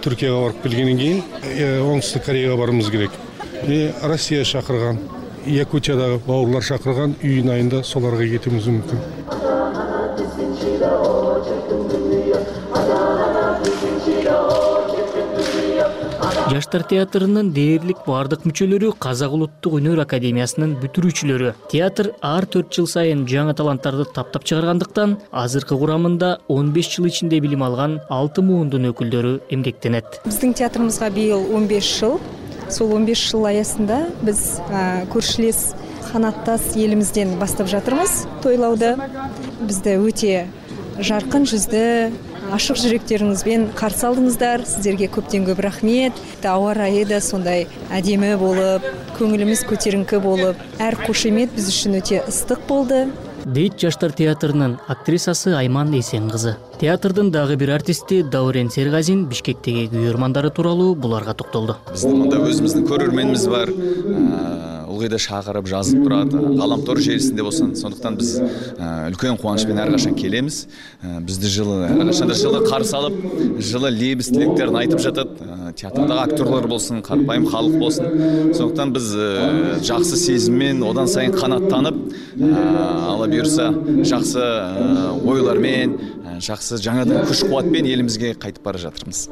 Speaker 18: Түркияга барып келгенден кийин Оңтүстүк Кореяга барыбыз керек. Россия шакырган, Якутиядагы бауырлар шакырган, июнь айында соларга кетүүбүз мүмкүн.
Speaker 16: Жаштар театрынын дээрлик бардык мүчөлөрү Казак улуттук өнөр академиясынын бүтүрүүчүлөрү. Театр ар 4 жыл сайын жаңы таланттарды таптап чыгаргандыктан, азыркы курамында 15 жыл ичинде билим алган 6 муундун өкүлдөрү эмгектенет.
Speaker 19: Биздин театрыбызга быйыл 15 жыл. Сол 15 жыл аясында биз көршүлес канаттас элимизден баштап жатырбыз тойлауды. Бизде өтө жаркын жүздө, ашык жүрөктөрүңүзбен каршы алдыңыздар. Сиздерге көптөн көп рахмет. Аба ырайы да сондай адемі болуп, көңүлүбүз көтөрүңкү болуп, ар кошемет биз үчүн өтө ыстык болду.
Speaker 16: Дейт жаштар театрынын актрисасы Айман Эсен кызы. Театрдын дагы бир артисти Даурен Сергазин Бишкектеги күйөрмандары тууралуу буларга токтолду.
Speaker 20: Биздин мында өзүбүздүн көрөрмөнүбүз бар. Ылгыйда шакырып жазып турат, Галамтор желисинде болсун. Сондуктан биз үлкөн кубаныч менен ар качан келебиз. Бизди жылы ар качан жылы каршы алып, жылы лебиз тилектерин айтып жатат. Театрдагы актерлор болсун, карапайым халык болсун. Сондуктан биз жакшы сезиммен одан сайын канаттанып, ала буюрса жакшы ойлор менен, жакшы жаңадан күч кубат менен элибизге кайтып бара жатырбыз.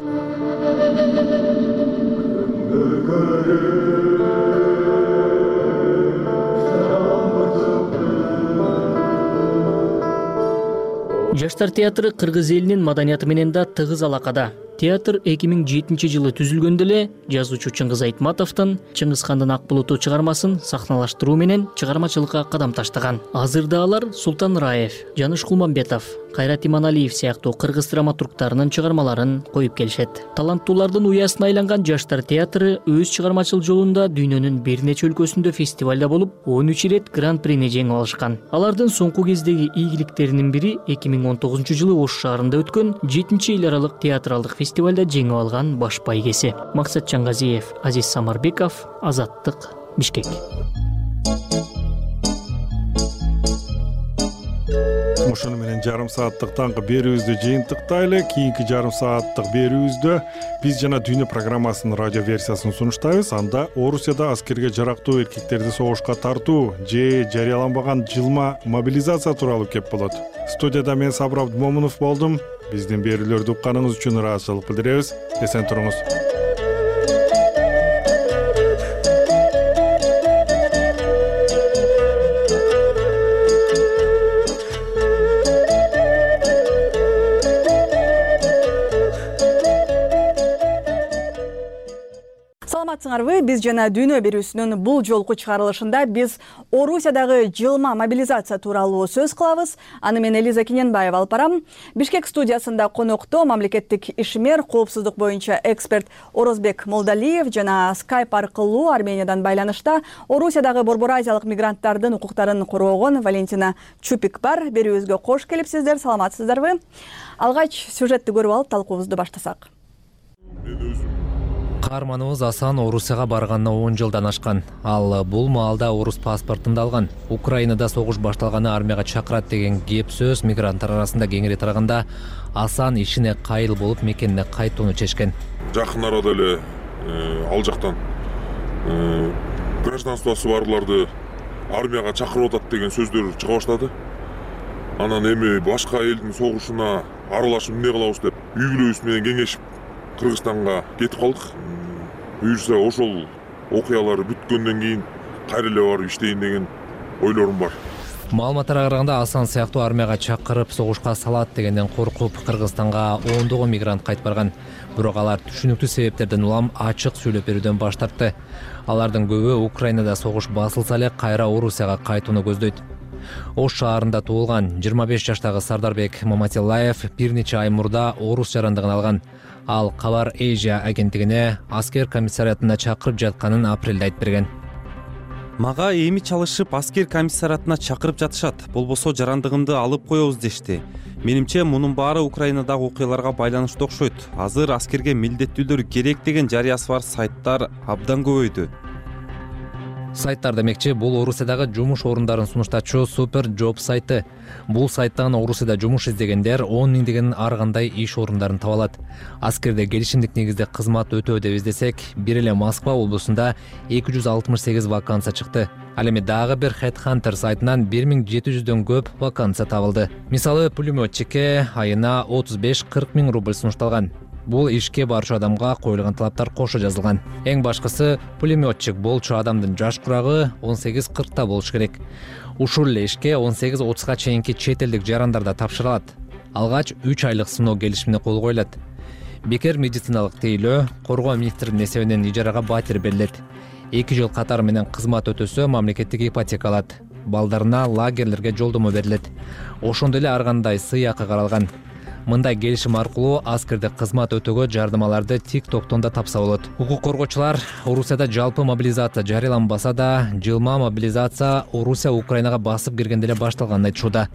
Speaker 16: Жаштар театры кыргыз элинин маданияты менен да тыгыз алакада. Театр 2007-жылы түзүлгөндө эле жазуучу Чыңгыз Айтматовдун Чыңгыз хандын Ак булуту чыгармасын сахналаштыруу менен чыгармачылыкка кадам таштаган. Азырда алар Султан Раев, Жаныш Кулмамбетов, Кайрат Иманалиев сыяктуу кыргыз драматургтарынын чыгармаларын коюп келишет. Таланттуулардын уясына айланган Жаштар театры өз чыгармачыл жолунда дүйнөнүн бир нече өлкөсүндө фестивалда болуп, 13 ирет гран-прини жеңип алышкан. Алардын соңку кездеги ийгиликтеринин бири 2019-жылы Ош шаарында өткөн 7-эл аралык театралдык фестивалда жеңип алган баш байгеси. Максат Чангазиев, Азиз Самарбеков, Азаттык, Бишкек.
Speaker 1: Ошону менен жарым сааттык таңкы берүүбүздү жыйынтыктайлы. Кийинки жарым сааттык берүүбүздө биз жана дүйнө программасынын радио версиясын сунуштайбыз. Анда Орусияда аскерге жарактуу эркектерди согушка тартуу же жарыяланбаган жылма мобилизация тууралуу кеп болот. Студияда мен Сабыр Абдымомунов болдум. Биздин берүүлөрдү укканыңыз үчүн ыраазычылык билдиребиз. Эсен туруңуз.
Speaker 2: Саламатсыңарбы? Биз жана дүйнө берүүсүнүн бул жолку чыгарылышында биз Орусиядагы жылма мобилизация тууралуу сөз кылабыз. Аны мен Элиза Кененбаева алып барам. Бишкек студиясында конокто мамлекеттик ишмер, коопсуздук боюнча эксперт Орозбек Молдалиев жана Skype аркылуу Армениядан байланышта Орусиядагы Борбор Азиялык мигранттардын укуктарын коргогон Валентина Чупик бар. Берүүбүзгө кош келипсиздер. Саламатсыздарбы? Алгач сюжетти көрүп алып талкуубузду баштасак.
Speaker 21: Каарманыбыз Асан Орусияга барганына 10 жылдан ашкан. Ал бул маалда орус паспортун да алган. Украинада согуш башталганы армияга чакырат деген кеп сөз мигранттар арасында кеңири тараганда Асан ишине кайыл болуп мекенине кайтууну чечкен.
Speaker 22: Жакын арада эле ал жактан гражданствосу барларды армияга чакырып атат деген сөздөр чыга баштады. Анан эми башка элдин согушуна аралашып эмне кылабыз деп үй бүлөбүз менен кеңешип Кыргызстанга кетип калдык. Буюрса ошол окуялар бүткөндөн кийин кайра эле барып иштейин деген ойлорум бар.
Speaker 21: Маалыматтарга караганда Асан сыяктуу армияга чакырып согушка салат дегенден коркуп Кыргызстанга ондогон мигрант кайтып барган. Бирок алар түшүнүктүү себептерден улам ачык сүйлөп берүүдөн баш тартты. Алардын көбү Украинада согуш басылса эле кайра Орусияга кайтууну көздөйт. Ош шаарында туулган 25 жаштагы Сардарбек Маматиллаев бир нече ай мурда орус жарандыгын алган. Ал Кабар Эйжия агенттигине аскер комиссариатына чакырып жатканын апрелде айтып берген.
Speaker 10: Мага эми чалышып аскер комиссариатына чакырып жатышат. Болбосо жарандыгымды алып коебуз дешти. Менимче мунун баары Украинадагы окуяларга байланыштуу окшойт. Азыр аскерге милдеттүүлөр керек деген жарыясы бар сайттар абдан көбөйдү.
Speaker 21: Сайттар демекчи бул Орусиядагы жумуш орундарын сунуштачу Супер Job сайты. Бул сайттан Орусияда жумуш издегендер 10 миңдеген ар кандай иш орундарын таба алат. Аскерде келишимдик негизде кызмат өтөө деп издесек, бир эле Москва облусунда 268 вакансия чыкты. Ал эми дагы бир Headhunter сайтынан 1700дөн көп вакансия табылды. Мисалы, пулеметчикке айына 35-40 миң рубль сунушталган. Бул ишке барчу адамга коюлган талаптар кошо жазылган. Эң башкысы, пулеметчик болчу адамдын жаш курагы 18-40 болуш керек. Ушул эле ишке 18-30га чейинки чет элдик жарандарда тапшырылат. Алгач 3 айлык сыноо келишимине кол коюлат. Бекер медициналык тейлөө коргоо министринин эсебинен ижарага батир берилет. 2 жыл катары менен кызмат өтөсө мамлекеттик ипотека алат. Балдарына лагерлерге жолдомо берилет. Ошондой эле ар кандай сый акы каралган. Мындай келишим аркылуу аскерде кызмат өтөгө жардамаларды TikToктон да тапса болот. Укук коргоочулар Орусияда жалпы мобилизация жарыяланбаса да, жылма мобилизация Орусия Украинага басып киргенде эле башталганын айтышууда.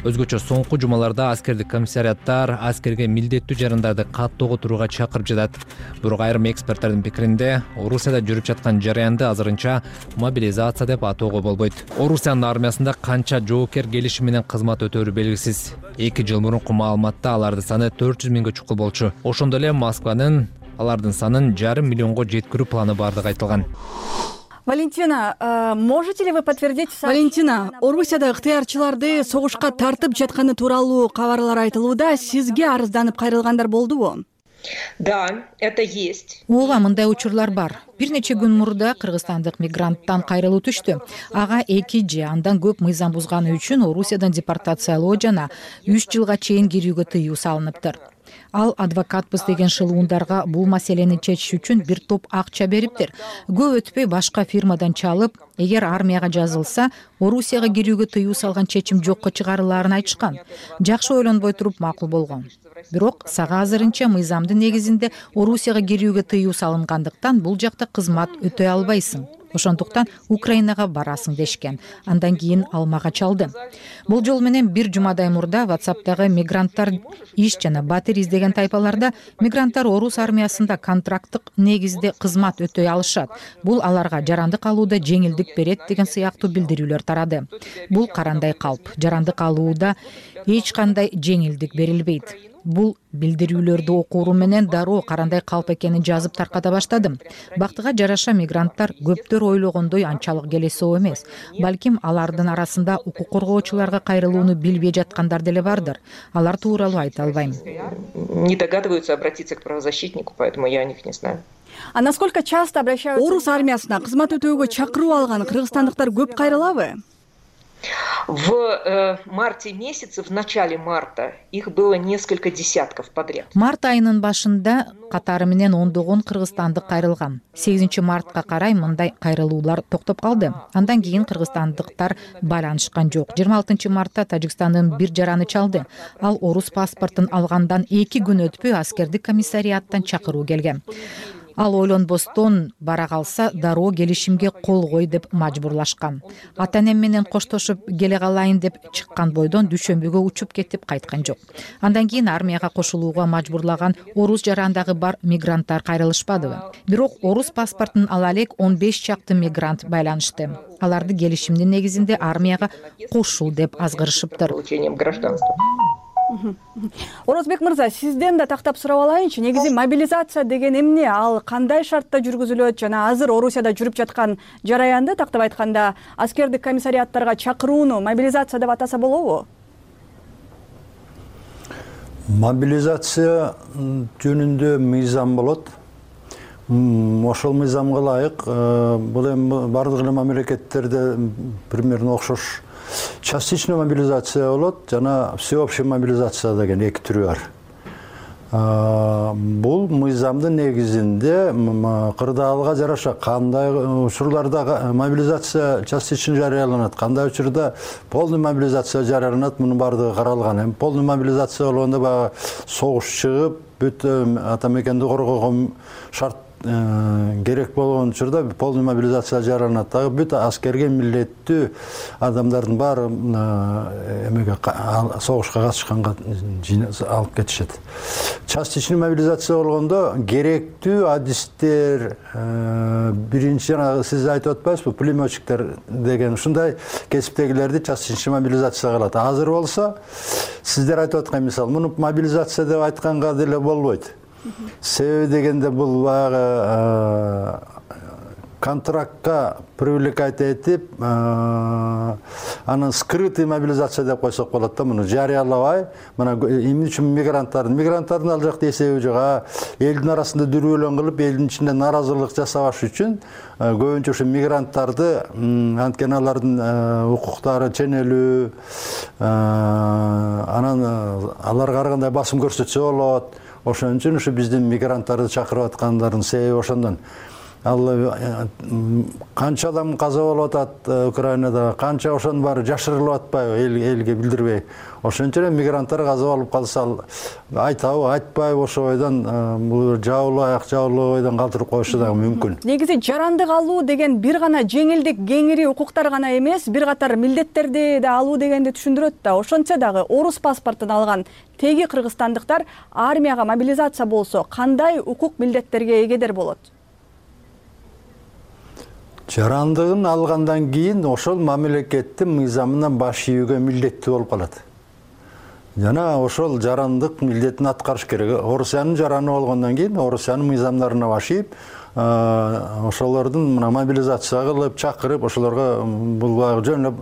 Speaker 21: Өзгөчө соңку жумаларда аскердик комиссариаттар аскерге милдеттүү жарандарды каттоого турууга чакырып жатат. Бирок айрым эксперттердин пикиринде, Орусияда жүрүп жаткан жараянды азырынча мобилизация деп атоого болбойт. Орусиянын армиясында канча жоокер келишим менен кызмат өтөөрү белгисиз. 2 жыл мурунку маалыматта алардын саны 400 миңге чукул болчу. Ошондой эле Москванын алардын санын 500 миллионго жеткирүү планы бардыгы айтылган.
Speaker 2: Валентина, можете ли вы подтвердить?
Speaker 23: Валентина, Орусияда ыктыярчыларды согушка тартып жатканы тууралуу кабарлар айтылууда. Сизге арызданып кайрылгандар болдубу?
Speaker 24: Да, это есть.
Speaker 12: Ооба, мындай учурлар бар. Бир нече күн мурда кыргызстандык мигранттан кайрылуу түштү. Ага 2 же андан көп мыйзам бузганы үчүн Орусиядан депортациялоо жана 3 жылга чейин кирүүгө тыюу салыныптыр. Ал адвокатпыз деген шылуундарга бул маселени чечиш үчүн бир топ акча бериптир. Көп өтпөй башка фирмадан чалып, эгер армияга жазылса, Орусияга кирүүгө тыюу салган чечим жокко чыгарылаарын айтышкан. Жакшы ойлонбой туруп макул болгон. Бирок сага азырынча мыйзамдын негизинде Орусияга кирүүгө тыюу салынгандыктан бул жакта кызмат өтөй албайсың. Ошондуктан Украинага барасың дешкен. Андан кийин ал мага чалды. Бул жол менен бир жумадай мурда WhatsApp'тагы мигранттар иш жана батир издеген тайпаларда мигранттар орус армиясында контракттык негизде кызмат өтөй алышат. Бул аларга жарандык алууда жеңилдик берет деген сыяктуу билдирүүлөр тарады. Бул карандай калп. Жарандык алууда эч кандай жеңилдик берилбейт. Бул билдирүүлөрдү окууру менен дароо карандай калп экенин жазып тарката баштадым. Бактыга жараша мигранттар көптөр ойлогондой анчалык келесоо эмес. Балким алардын арасында укук коргоочуларга кайрылууну билбей жаткандар деле бардыр. Алар тууралуу айта албайм.
Speaker 24: Не догадываются обратиться к правозащитнику, поэтому я о них не знаю.
Speaker 23: А насколько часто обращаются? Орус армиясына кызмат өтөөгө чакыруу алган кыргызстандыктар көп кайрылабы?
Speaker 24: В марте месяце, в начале марта, их было несколько десятков подряд.
Speaker 12: Март айынын башында катары менен ондогон кыргызстандык кайрылган. 8 мартка карай мындай кайрылуулар токтоп калды. Андан кийин кыргызстандыктар байланышкан жок. 26 мартта Тажикстандын бир жараны чалды. Ал орус паспортун алгандан 2 күн өтпөй аскердик комиссариаттан чакыруу келген. Ал ойлонбостон бара калса дароо келишимге кол кой деп мажбурлашкан. Ата-энем менен коштошуп келе калайын деп чыккан бойдон дүйшөмбүгө учуп кетип кайткан жок. Андан кийин армияга кошулууга мажбурлаган орус жарандагы бар мигранттар кайрылышпадыбы. Бирок орус паспортун ала элек 15 чакты мигрант байланышты. Аларды келишимдин негизинде армияга кошул деп азгырышыптыр.
Speaker 23: Орозбек мырза, сизден да тактап сурап алайынчы. Негизи мобилизация деген эмне? Ал кандай шартта жүргүзүлөт жана азыр Орусияда жүрүп жаткан жараянды тактап айтканда аскердик комиссариаттарга чакырууну мобилизация деп атаса болобу?
Speaker 4: Мобилизация жөнүндө мыйзам болот. Ошол мыйзамга ылайык бул эми бардык эле мамлекеттерде примерно окшош. Частичная мобилизация болот жана всеобщая мобилизация деген эки түрү бар. Бул мыйзамдын негизинде кырдаалга жараша кандай учурларда мобилизация частично жарыяланат, кандай учурда полный мобилизация жарыяланат, мунун бардыгы каралган. Эми полный мобилизация болгондо баягы согуш чыгып, бүт ата мекенди коргоого шарт керек болгон учурда полный мобилизация жарыяланат. Дагы бүт аскерге милдеттүү адамдардын баары эмеге согушка катышканга алып кетишет. Частичный мобилизация болгондо керектүү адистер, биринчи жана сиз айтып атпайсызбы, пулеметчиктер деген ушундай кесиптегилерди частичный мобилизация кылат. Азыр болсо сиздер айтып аткан мисал, муну мобилизация деп айтканга деле болбойт. Себеби дегенде бул баягы контрактка привлекать этип, анан скрытый мобилизация деп койсок болот да, муну жарыялабай, мына эмне үчүн мигранттардын ал жакта эсеби жок, элдин арасында дүрбөлөң кылып, элдин ичинде наразылык жасабаш үчүн көбүнчө ушу мигранттарды, анткени алардын укуктары ченелүү, анан аларга ар кандай басым көрсөтсө болот. Ошон үчүн ушу биздин мигранттарды чакырып аткандардын себеби ошондон. Ал канча адам каза болуп атат Украинада, канча ошонун баары жашырылып атпайбы, элге билдирбей. Ошон үчүн мигранттар каза болуп калса айтабы, айтпайбы, ошо бойдон бул жабылуу бойдон калтырып коюшу дагы мүмкүн.
Speaker 23: Негизи жарандык алуу деген бир гана жеңилдик, кеңири укуктар гана эмес, бир катар милдеттерди да алуу дегенди түшүндүрөт да. Ошончо дагы орус паспортун алган теги кыргызстандыктар армияга мобилизация болсо кандай укук милдеттерге эгедер болот?
Speaker 4: Жарандыгын алгандан кийин ошол мамлекеттин мыйзамынан баш ийүүгө милдеттүү болуп калат. Жана ошол жарандык милдетин аткарыш керек. Орусиянын жараны болгондон кийин Орусиянын мыйзамдарына баш ийип, ошолордун мобилизация кылып, чакырып, ошолорго бул жөн эле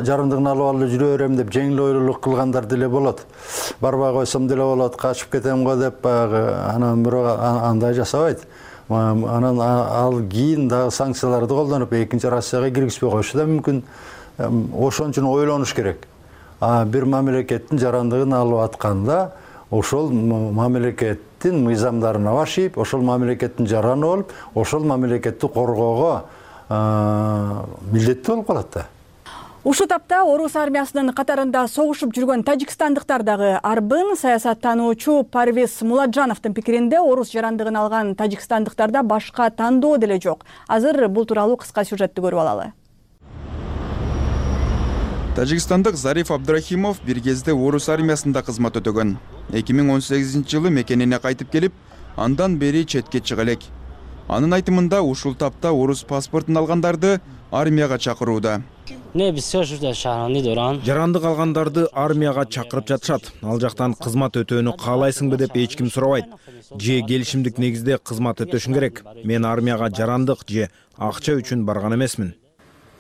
Speaker 4: жарандыгын алып алып жүрө берем деп жеңил ойлуулук кылгандар деле болот. Барбай койсом деле болот, качып кетем го деп анан бирок андай жасабайт. Анан ал кийин дагы санкцияларды колдонуп, экинчи Россияга киргизбей коюшу да мүмкүн. Ошон үчүн ойлонуш керек. Бир мамлекеттин жарандыгын алып атканда, ошол мамлекеттин мыйзамдарына башыйып, ошол мамлекеттин жараны болуп, ошол мамлекетти коргоого милдеттүү болуп калат да.
Speaker 23: Ушул тапта орус армиясынын катарында согушуп жүргөн тажикстандыктар дагы арбын. Саясаттануучу Парвиз Муладжановдун пикиринде орус жарандыгын алган тажикстандыктарда башка тандоо деле жок. Азыр бул тууралуу кыска сюжетти көрүп алалы.
Speaker 5: Тажикстандык Зариф Абдрахимов бир кезде орус армиясында кызмат өтөгөн. 2018-жылы мекенине кайтып келип, андан бери четке чыга элек. Анын айтымында ушул тапта орус паспортун алгандарды армияга чакырууда.
Speaker 6: Жарандык алгандарды армияга чакырып жатышат. Ал жактан кызмат өтөөнү каалайсыңбы деп эч ким сурабайт. Же келишимдик негизде кызмат өтөшүң керек. Мен армияга жарандык же акча үчүн барган эмесмин.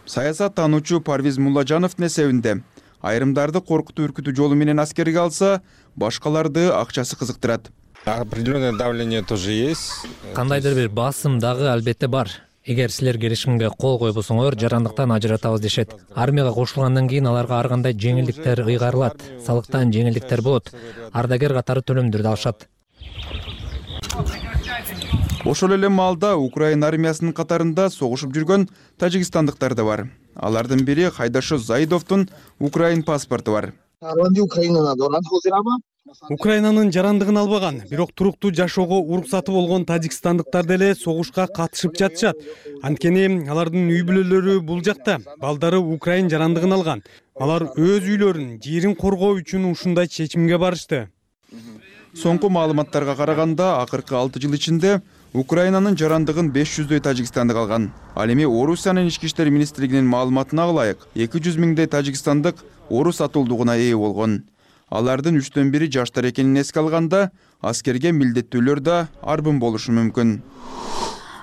Speaker 5: Саясаттануучу Парвиз Муладжановдун эсебинде айрымдарды коркутуу үркүтүү жолу менен аскерге алса, башкаларды акчасы кызыктырат.
Speaker 7: Определенное давление тоже есть.
Speaker 21: Кандайдыр бир басым дагы албетте бар. Эгер силер келишимге кол койбосоңор, жарандыктан ажыратабыз дешет. Армияга кошулгандан кийин аларга ар кандай жеңилдиктер ыйгарылат. Салыктан жеңилдиктер болот. Ардагер катары төлөмдөрдү алышат.
Speaker 5: Ошол эле маалда Украина армиясынын катарында согушуп жүргөн тажикстандыктар да бар. Алардын бири Хайдашо Заидовдун Украин паспорту бар.
Speaker 8: Украинанын жарандыгын албаган, бирок туруктуу жашоого уруксаты болгон тажикстандыктар деле согушка катышып жатышат. Анткени алардын үй бүлөлөрү бул жакта, балдары Украин жарандыгын алган. Алар өз үйлөрүн, жерин коргоо үчүн ушундай чечимге барышты.
Speaker 5: Соңку маалыматтарга караганда, акыркы 6 жыл ичинде Украинанын жарандыгын 500дөй тажикстандык алган. Ал эми Орусиянын ички иштер министрлигинин маалыматына ылайык 200 миңдей тажикстандык орус атуулдугуна ээ болгон. Алардын 3төн бири жаштар экенин эске алганда, аскерге милдеттүүлөр да арбын болушу мүмкүн.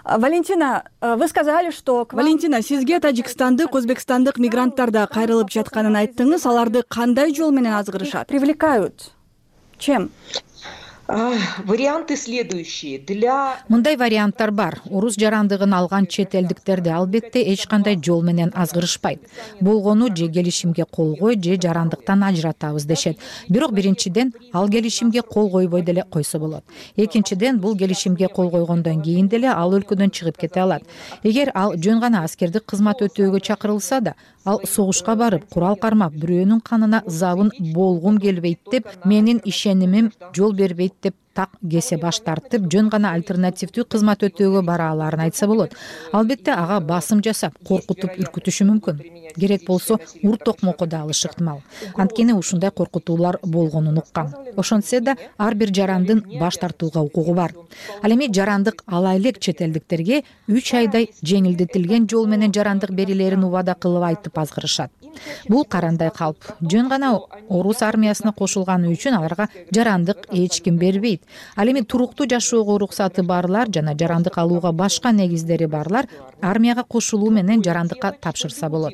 Speaker 23: Валентина, вы сказали, что... Валентина, сизге тажикстандык, өзбекстандык мигранттар да кайрылып жатканын айттыңыз. Аларды кандай жол менен азгырышат? Привлекают? Чем?
Speaker 24: Варианты следующие.
Speaker 12: Мындай варианттар бар. Орус жарандыгын алган чет элдиктерди албетте эч кандай жол менен азгырышпайт. Болгону же келишимге кол кой, же жарандыктан ажыратабыз дешет. Бирок биринчиден ал келишимге кол койбой деле койсо болот. Экинчиден бул келишимге кол койгондон кийин деле ал өлкөдөн чыгып кете алат. Эгер ал жөн гана аскердик кызмат өтөөгө чакырылса да, ал согушка барып, курал кармап, бирөөнүн канына забын болгум келбейт деп, менин ишенимим жол бербейт деп так кесе баш тартып, жөн гана альтернативдүү кызмат өтөөгө бара аларын айтса болот. Албетте ага басым жасап, коркутуп үркүтүшү мүмкүн. Керек болсо ур токмокко да алышы ыктымал. Анткени ушундай коркутуулар болгонун уккам. Ошентсе да ар бир жарандын баш тартууга укугу бар. Ал эми жарандык ала элек чет элдиктерге 3 айдай жеңилдетилген жол менен жарандык берилерин убада кылып айтып азгырышат. Бул карандай калп. Жөн гана орус армиясына кошулганы үчүн аларга жарандык эч ким бербейт. Ал эми туруктуу жашоого уруксаты барлар жана жарандык алууга башка негиздери барлар армияга кошулуу менен жарандыкка тапшырса болот.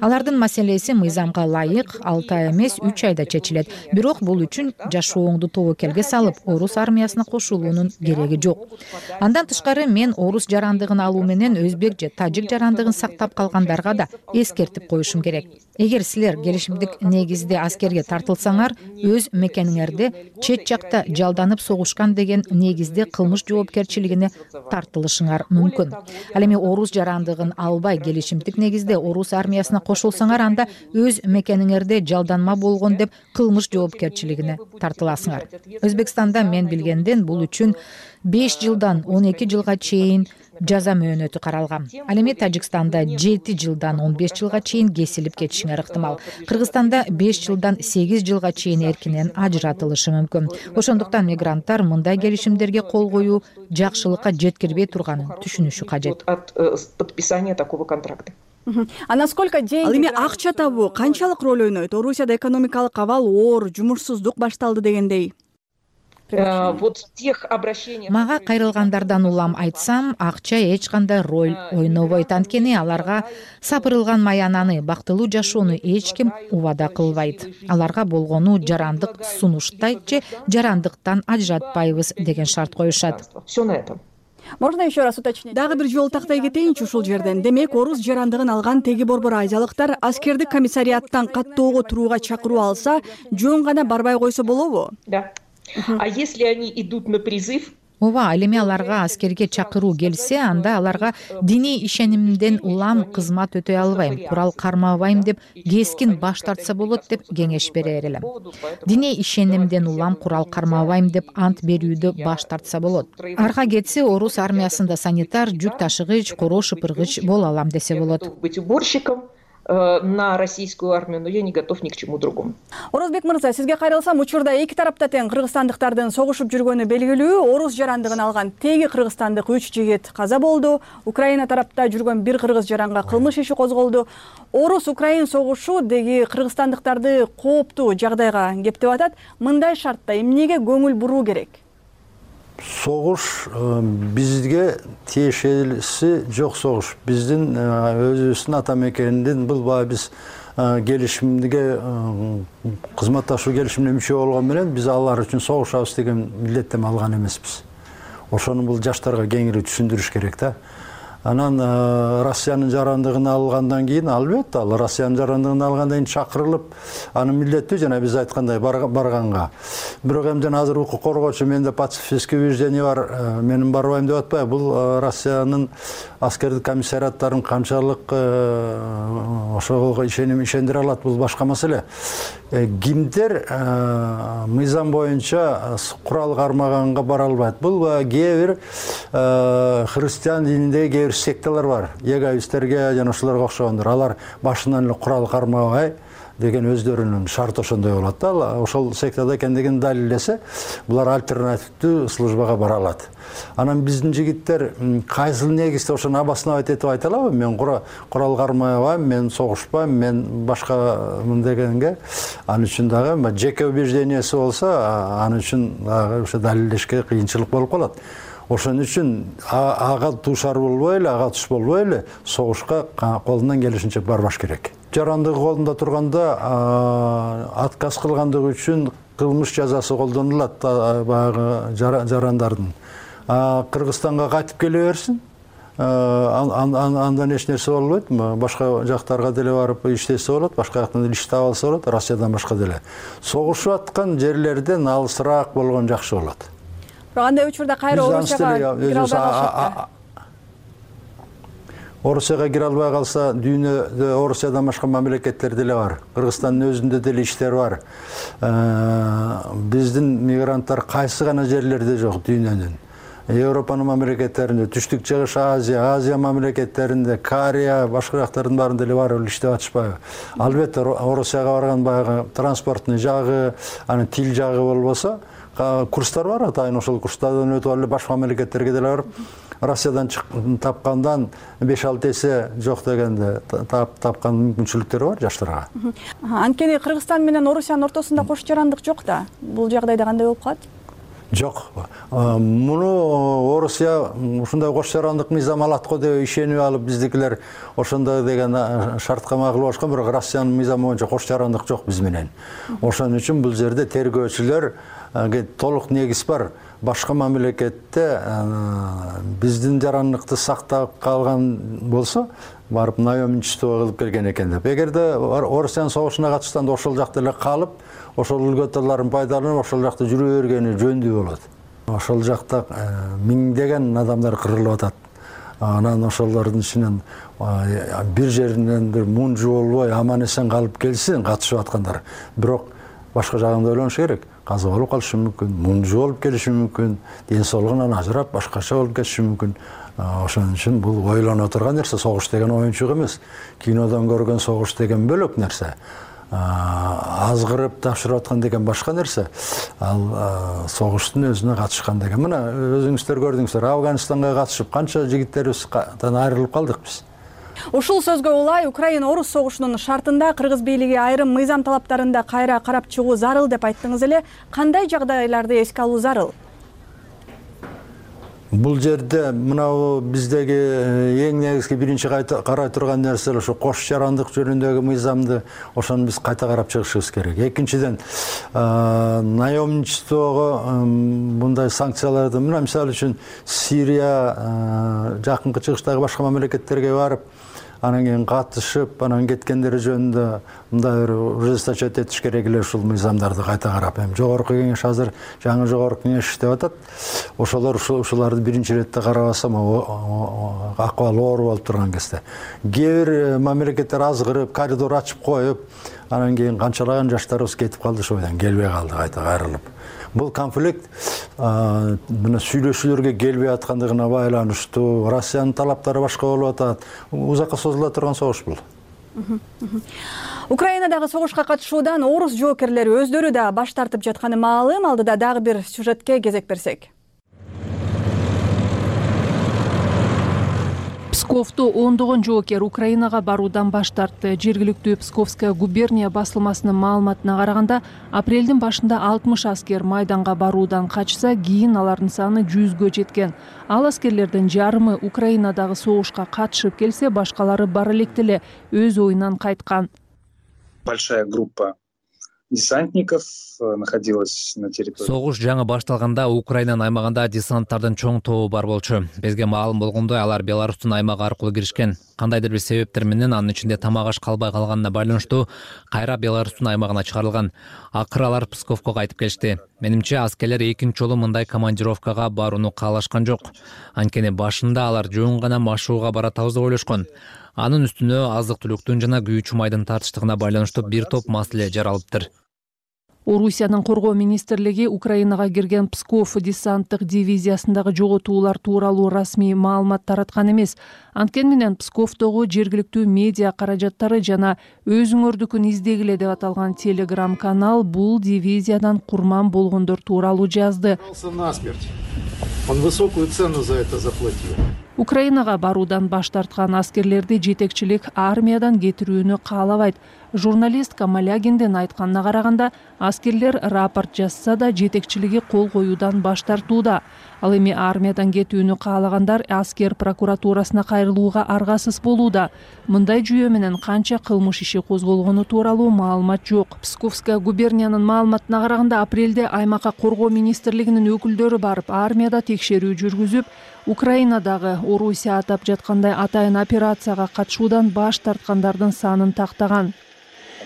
Speaker 12: Алардын маселеси мыйзамга ылайык 6 ай эмес 3 айда чечилет. Бирок бул үчүн жашооңду тобокелге салып, орус армиясына кошулуунун кереги жок. Андан тышкары мен орус жарандыгын алуу менен өзбек же тажик жарандыгын сактап калгандарга да эскертип коюшум керек. Эгер силер келишимдик негизде аскерге тартылсаңар, өз мекениңерде чет жакта жалданып согушкан деген негизде кылмыш жоопкерчилигине тартылышыңар мүмкүн. Ал эми орус жарандыгын албай келишимдик негизде орус армиясына кошулсаңар, анда өз мекениңерде жалданма болгон деп кылмыш жоопкерчилигине тартыласыңар. Өзбекстанда мен билгенден бул үчүн 5 жылдан 12 жылга чейин жаза мөөнөтү каралган. Ал эми Тажикстанда 7 жылдан 15 жылга чейин кесилип кетишиңер ыктымал. Кыргызстанда 5 жылдан 8 жылга чейин эркинен ажыратылышы мүмкүн. Ошондуктан мигранттар мындай келишимдерге кол коюу жакшылыкка жеткирбей турганын түшүнүшү кажет.
Speaker 24: От подписания такого контракта.
Speaker 23: А насколько деньги... Ал эми акча табуу канчалык роль ойнойт? Орусияда экономикалык абал оор, жумушсуздук башталды дегендей.
Speaker 12: Мага кайрылгандардан улам айтсам, акча эч кандай роль ойнобойт. Анткени аларга сапырылган маянаны, бактылуу жашоону эч ким убада кылбайт. Аларга болгону жарандык сунуштайт же жарандыктан ажыратпайбыз деген шарт коюшат.
Speaker 24: Все на этом.
Speaker 23: Можно еще раз уточнить? Дагы бир жол тактай кетейинчи ушул жерден. Демек, орус жарандыгын алган теги борбор азиялыктар аскердик комиссариаттан каттоого турууга чакыруу алса, жөн гана барбай койсо болобу?
Speaker 24: Да. А если они идут на призыв,
Speaker 12: ооба, ал эми аларга аскерге чакыруу келсе, анда аларга диний ишенимден улам кызмат өтөй албайм, курал кармабайм деп кескин баш тартса болот деп кеңеш берер элем. Диний ишенимден улам курал кармабайм деп ант берүүдө баш тартса болот. Арга кетсе, орус армиясында санитар, жүк ташыгыч, короо шыпыргыч боло алам десе болот.
Speaker 24: быть уборщиком на российскую армию, но я не готов ни к чему другому.
Speaker 23: Орозбек мырза, сизге кайрылсам, учурда эки тарапта тең кыргызстандыктардын согушуп жүргөнү белгилүү. Орус жарандыгын алган теги кыргызстандык 3 жигит каза болду. Украина тарапта жүргөн бир кыргыз жаранга кылмыш иши козголду. Орус-Украин согушу деги кыргызстандыктарды кооптуу жагдайга кептеп атат. Мындай шартта эмнеге көңүл буруу керек?
Speaker 4: Согуш бизге тиешелиси жок согуш. Биздин өзүбүздүн ата мекенинден бул баягы биз келишимге кызматташуу келишимине мүчө болгон менен биз алар үчүн согушабыз деген милдеттеме алган эмеспиз. Ошону бул жаштарга кеңири түшүндүрүш керек да. Анан Россиянын жарандыгын алгандан кийин, албетте, ал Россиянын жарандыгын алгандан кийин чакырылып, анын милдеттүү жана биз айткандай барганга. Бирок эмден азыр укук коргоочу менде пацифистский убеждение бар, менин барбайм деп атпайбы. Бул Россиянын аскердик комиссариаттарын канчалык ошого ишендире алат, бул башка маселе. Кимдер мыйзам боюнча курал кармаганга бара албайт. Бул кээ бир христиан дининдеги кээ бир секталар бар. Егоисттерге жана ошолорго окшогондор. Алар башынан эле курал кармабай деген өздөрүнүн шарты ошондой болот да. Ошол сектада экендигин далилдесе, булар альтернативдүү службага бара алат. Анан биздин жигиттер кайсыл негизде ошону обосновать этип айта алабы? Мен курал кармабайм, мен согушпайм, мен башкамын дегенге, ал үчүн дагы жеке убеждениясы болсо, ал үчүн дагы ошо далилдешке кыйынчылык болуп калат. Ошон үчүн ага туушар болбой эле, ага туш болбой эле согушка колунан келишинче барбаш керек. Жарандыгы колунда турганда отказ кылгандыгы үчүн кылмыш жазасы колдонулат баягы жарандардын. Кыргызстанга кайтып келе берсин, андан эч нерсе болбойт. Башка жактарга деле барып иштесе болот, башка жактан деле иш таап алса болот, Россиядан башка деле. Согушуп аткан жерлерден алысыраак болгон жакшы болот.
Speaker 23: Бирок андай учурда кайра Орусияга кире албай калышат.
Speaker 4: Орусияга кире албай калса, дүйнөдө Орусиядан башка мамлекеттер деле бар. Кыргызстандын өзүндө деле иштер бар. Биздин мигранттар кайсы гана жерлерде жок дүйнөнүн. Европанын мамлекеттеринде, Түштүк Чыгыш Азия мамлекеттеринде, Корея, башка жактардын баарында деле барып иштеп атышпайбы? Албетте, Орусияга барган баягы транспорттун жагы, анын тил жагы болбосо, курстар бар, атайын ошол курстардан өтүп алып башка мамлекеттерге деле барып, Россиядан тапкандан 5-6 эсе жок дегенде тапкан мүмкүнчүлүктөр бар жаштарга.
Speaker 23: Анткени Кыргызстан менен Орусиянын ортосунда кош жарандык жок да. Бул жагдайда кандай болуп калат?
Speaker 4: Жок. Муну Орусия ушундай кош жарандык мыйзам алат го деп ишенип алып, биздикилер ошондой деген шартка макул болушкан, бирок Россиянын мыйзамы боюнча кош жарандык жок биз менен. Ошон үчүн бул жерде тергөөчүлөр толук негиз бар. Башка мамлекетте биздин жарандыкты сактап калган болсо, барып наемничество кылып келген экен деп. Эгерде Орусиянын согушуна катышканда ошол жакта эле калып, ошол үлгөтөлөрүн пайдаланып, ошол жакта жүрө бергени жөндүү болот. Ошол жакта миңдеген адамдар кырылып атат. Анан ошолордун ичинен бир жеринен бир мунжу болбой аман эсен калып келсин катышып аткандар. Бирок башка жагын ойлонуш керек. Каза болуп калышы мүмкүн, мунжу болуп келиши мүмкүн, ден соолугунан ажырап башкача болуп кетиши мүмкүн. Ошон үчүн бул ойлоно турган нерсе. Согуш деген оюнчук эмес. Кинодон көргөн согуш деген бөлөк нерсе. Азгырып тапшырып аткан деген башка нерсе. Ал согуштун өзүнө катышкан деген. Мына өзүңүздөр көрдүңүздөр, Афганистанга катышып канча жигиттерибизден айрылып калдык биз.
Speaker 23: Ушул сөзгө улай Украина-Орус согушунун шартында кыргыз бийлиги айрым мыйзам талаптарында кайра карап чыгуу зарыл деп айттыңыз эле. Кандай жагдайларды эске алуу зарыл?
Speaker 4: Бул жерде мына биздеги эң негизги биринчи карай турган нерсе ошо кош жарандык жөнүндөгү мыйзамды, ошону биз кайта карап чыгышыбыз керек. Экинчиден, наемничествого мындай санкцияларды, мына мисалы үчүн Сирия, жакынкы чыгыштагы башка мамлекеттерге барып, анан кийин катышып анан кеткендери жөнүндө мындай бир ужесточать этиш керек эле ушул мыйзамдарды кайта карап. Эми жогорку кеңеш азыр жаңы жогорку кеңеш иштеп атат. Ошолор ушуларды биринчи иретте карабасам акыбал оор болуп турган кезде. Кээ бир мамлекеттер азгырып, коридор ачып коюп, анан кийин канчалаган жаштарыбыз кетип калды, ошол бойдон келбей калды кайта кайрылып. Бул конфликт мына сүйлөшүүлөргө келбей аткандыгына байланыштуу, Россиянын талаптары башка болуп атат. Узакка созула турган согуш бул.
Speaker 23: Украинадагы согушка катышуудан орус жоокерлери өздөрү да баш тартып жатканы маалым. Алдыда дагы бир сюжетке кезек берсек.
Speaker 3: Псковдо ондогон жоокер Украинага баруудан баш тартты. Жергиликтүү Псковская губерния басылмасынын маалыматына караганда, апрелдин башында 60 аскер майданга баруудан качса, кийин алардын саны 100гө жеткен. Ал аскерлердин жарымы Украинадагы согушка катышып келсе, башкалары бара электе эле өз оюнан кайткан.
Speaker 9: Большая группа десантников находилась на территории.
Speaker 21: Согуш жаңы башталганда Украинанын аймагында десанттардын чоң тобу бар болчу. Бизге маалым болгондой, алар Беларустун аймагы аркылуу киришкен. Кандайдыр бир себептер менен анын ичинде тамак аш калбай калганына байланыштуу кайра Беларустун аймагына чыгарылган. Акыры алар Псковго кайтып келишти. Менимче аскерлер экинчи жолу мындай командировкага барууну каалашкан жок. Анткени башында алар жөн гана машууга баратабыз деп ойлошкон. Анын үстүнө азык-түлүктүн жана күйүүчү майдын тартыштыгына байланыштуу бир топ маселе жаралыптыр.
Speaker 3: Орусиянын коргоо министрлиги Украинага кирген Псков десанттык дивизиясындагы жоготуулар тууралуу расмий маалымат тараткан эмес. Анткени менен Псковдогу жергиликтүү медиа каражаттары жана өзүңөрдүкүн издегиле деп аталган телеграм канал бул дивизиядан курман болгондор тууралуу жазды.
Speaker 11: Он высокую цену за это заплатил.
Speaker 3: Украинага баруудан баш тарткан аскерлерди жетекчилик армиядан кетирүүнү каалабайт. Журналист Камалягиндин айтканына караганда, аскерлер рапорт жазса да жетекчилиги кол коюудан баш тартууда. Ал эми армиядан кетүүнү каалагандар аскер прокуратурасына кайрылууга аргасыз болууда. Мындай жүйө менен канча кылмыш иши козголгону тууралуу маалымат жок. Псковская губерниянын маалыматына караганда, апрелде аймакка коргоо министрлигинин өкүлдөрү барып, армияда текшерүү жүргүзүп, Украинадагы Орусия атап жаткандай атайын операцияга катышуудан баш тарткандардын санын тактаган.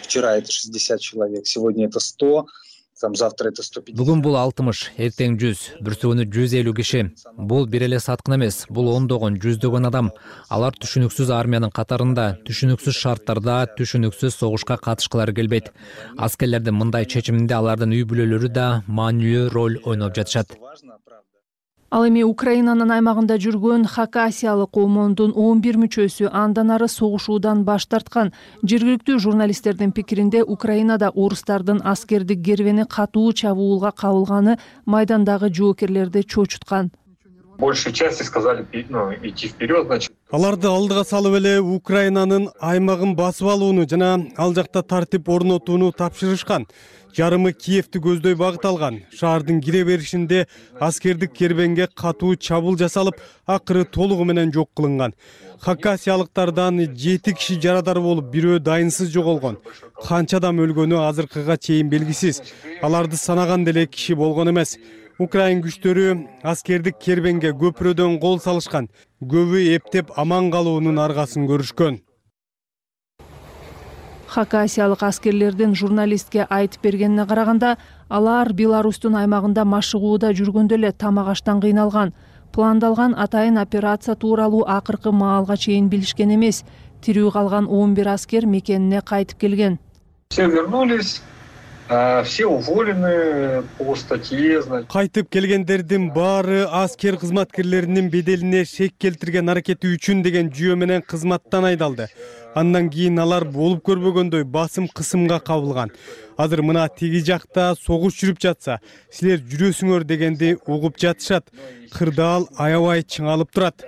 Speaker 9: Вчера это 60 человек, сегодня это 100, завтра это 150.
Speaker 21: Бүгүн бул 60, эртең 100, бүрсөгөнү 150 киши. Бул бир эле саткын эмес, бул ондогон, жүздөгөн адам. Алар түшүнүксүз армиянын катарында, түшүнүксүз шарттарда, түшүнүксүз согушка катышкылары келбейт. Аскерлердин мындай чечиминде алардын үй бүлөлөрү да маанилүү роль ойноп жатышат.
Speaker 3: Ал эми Украинанын аймагында жүргөн Хакасиялык комондун 11 мүчөсү андан ары согушуудан баш тарткан. Жергиликтүү журналисттердин пикиринде, Украинада орустардын аскердик кербени катуу чабуулга кабылганы майдандагы жоокерлерди чочуткан.
Speaker 15: Большей части сказали идти вперед, значит.
Speaker 8: Аларды алдыга салып эле Украинанын аймагын басып алууну жана ал жакта тартип орнотууну тапшырышкан. Жарымы Киевти көздөй багыт алган. Шаардын кире беришинде аскердик кербенге катуу чабуул жасалып, акыры толугу менен жок кылынган. Хакасиялыктардан 7 киши жарадар болуп, бирөө дайынсыз жоголгон. Канча адам өлгөнү азыркыга чейин белгисиз. Аларды санаган деле киши болгон эмес. Украин күчтөрү аскердик кербенге көпүрөдөн кол салышкан. Көбү эптеп аман калуунун аргасын көрүшкөн.
Speaker 3: Хакасиялык аскерлердин журналистке айтып бергенине караганда, алар Беларустун аймагында машыгууда жүргөндө эле тамак аштан кыйналган. Пландалган атайын операция тууралуу акыркы маалга чейин билишкен эмес. Тирүү калган 11 аскер мекенине кайтып келген.
Speaker 15: Все вернулись. Все уволены по статье.
Speaker 8: Кайтып келгендердин баары аскер кызматкерлеринин беделине шек келтирген аракети үчүн деген жүйө менен кызматтан айдалды. Андан кийин алар болуп көрбөгөндөй басым кысымга кабылган. Азыр мына теги жакта согуш жүрүп жатса, силер жүрөсүңөр дегенди угуп жатышат. Кырдаал аябай чыңалып турат.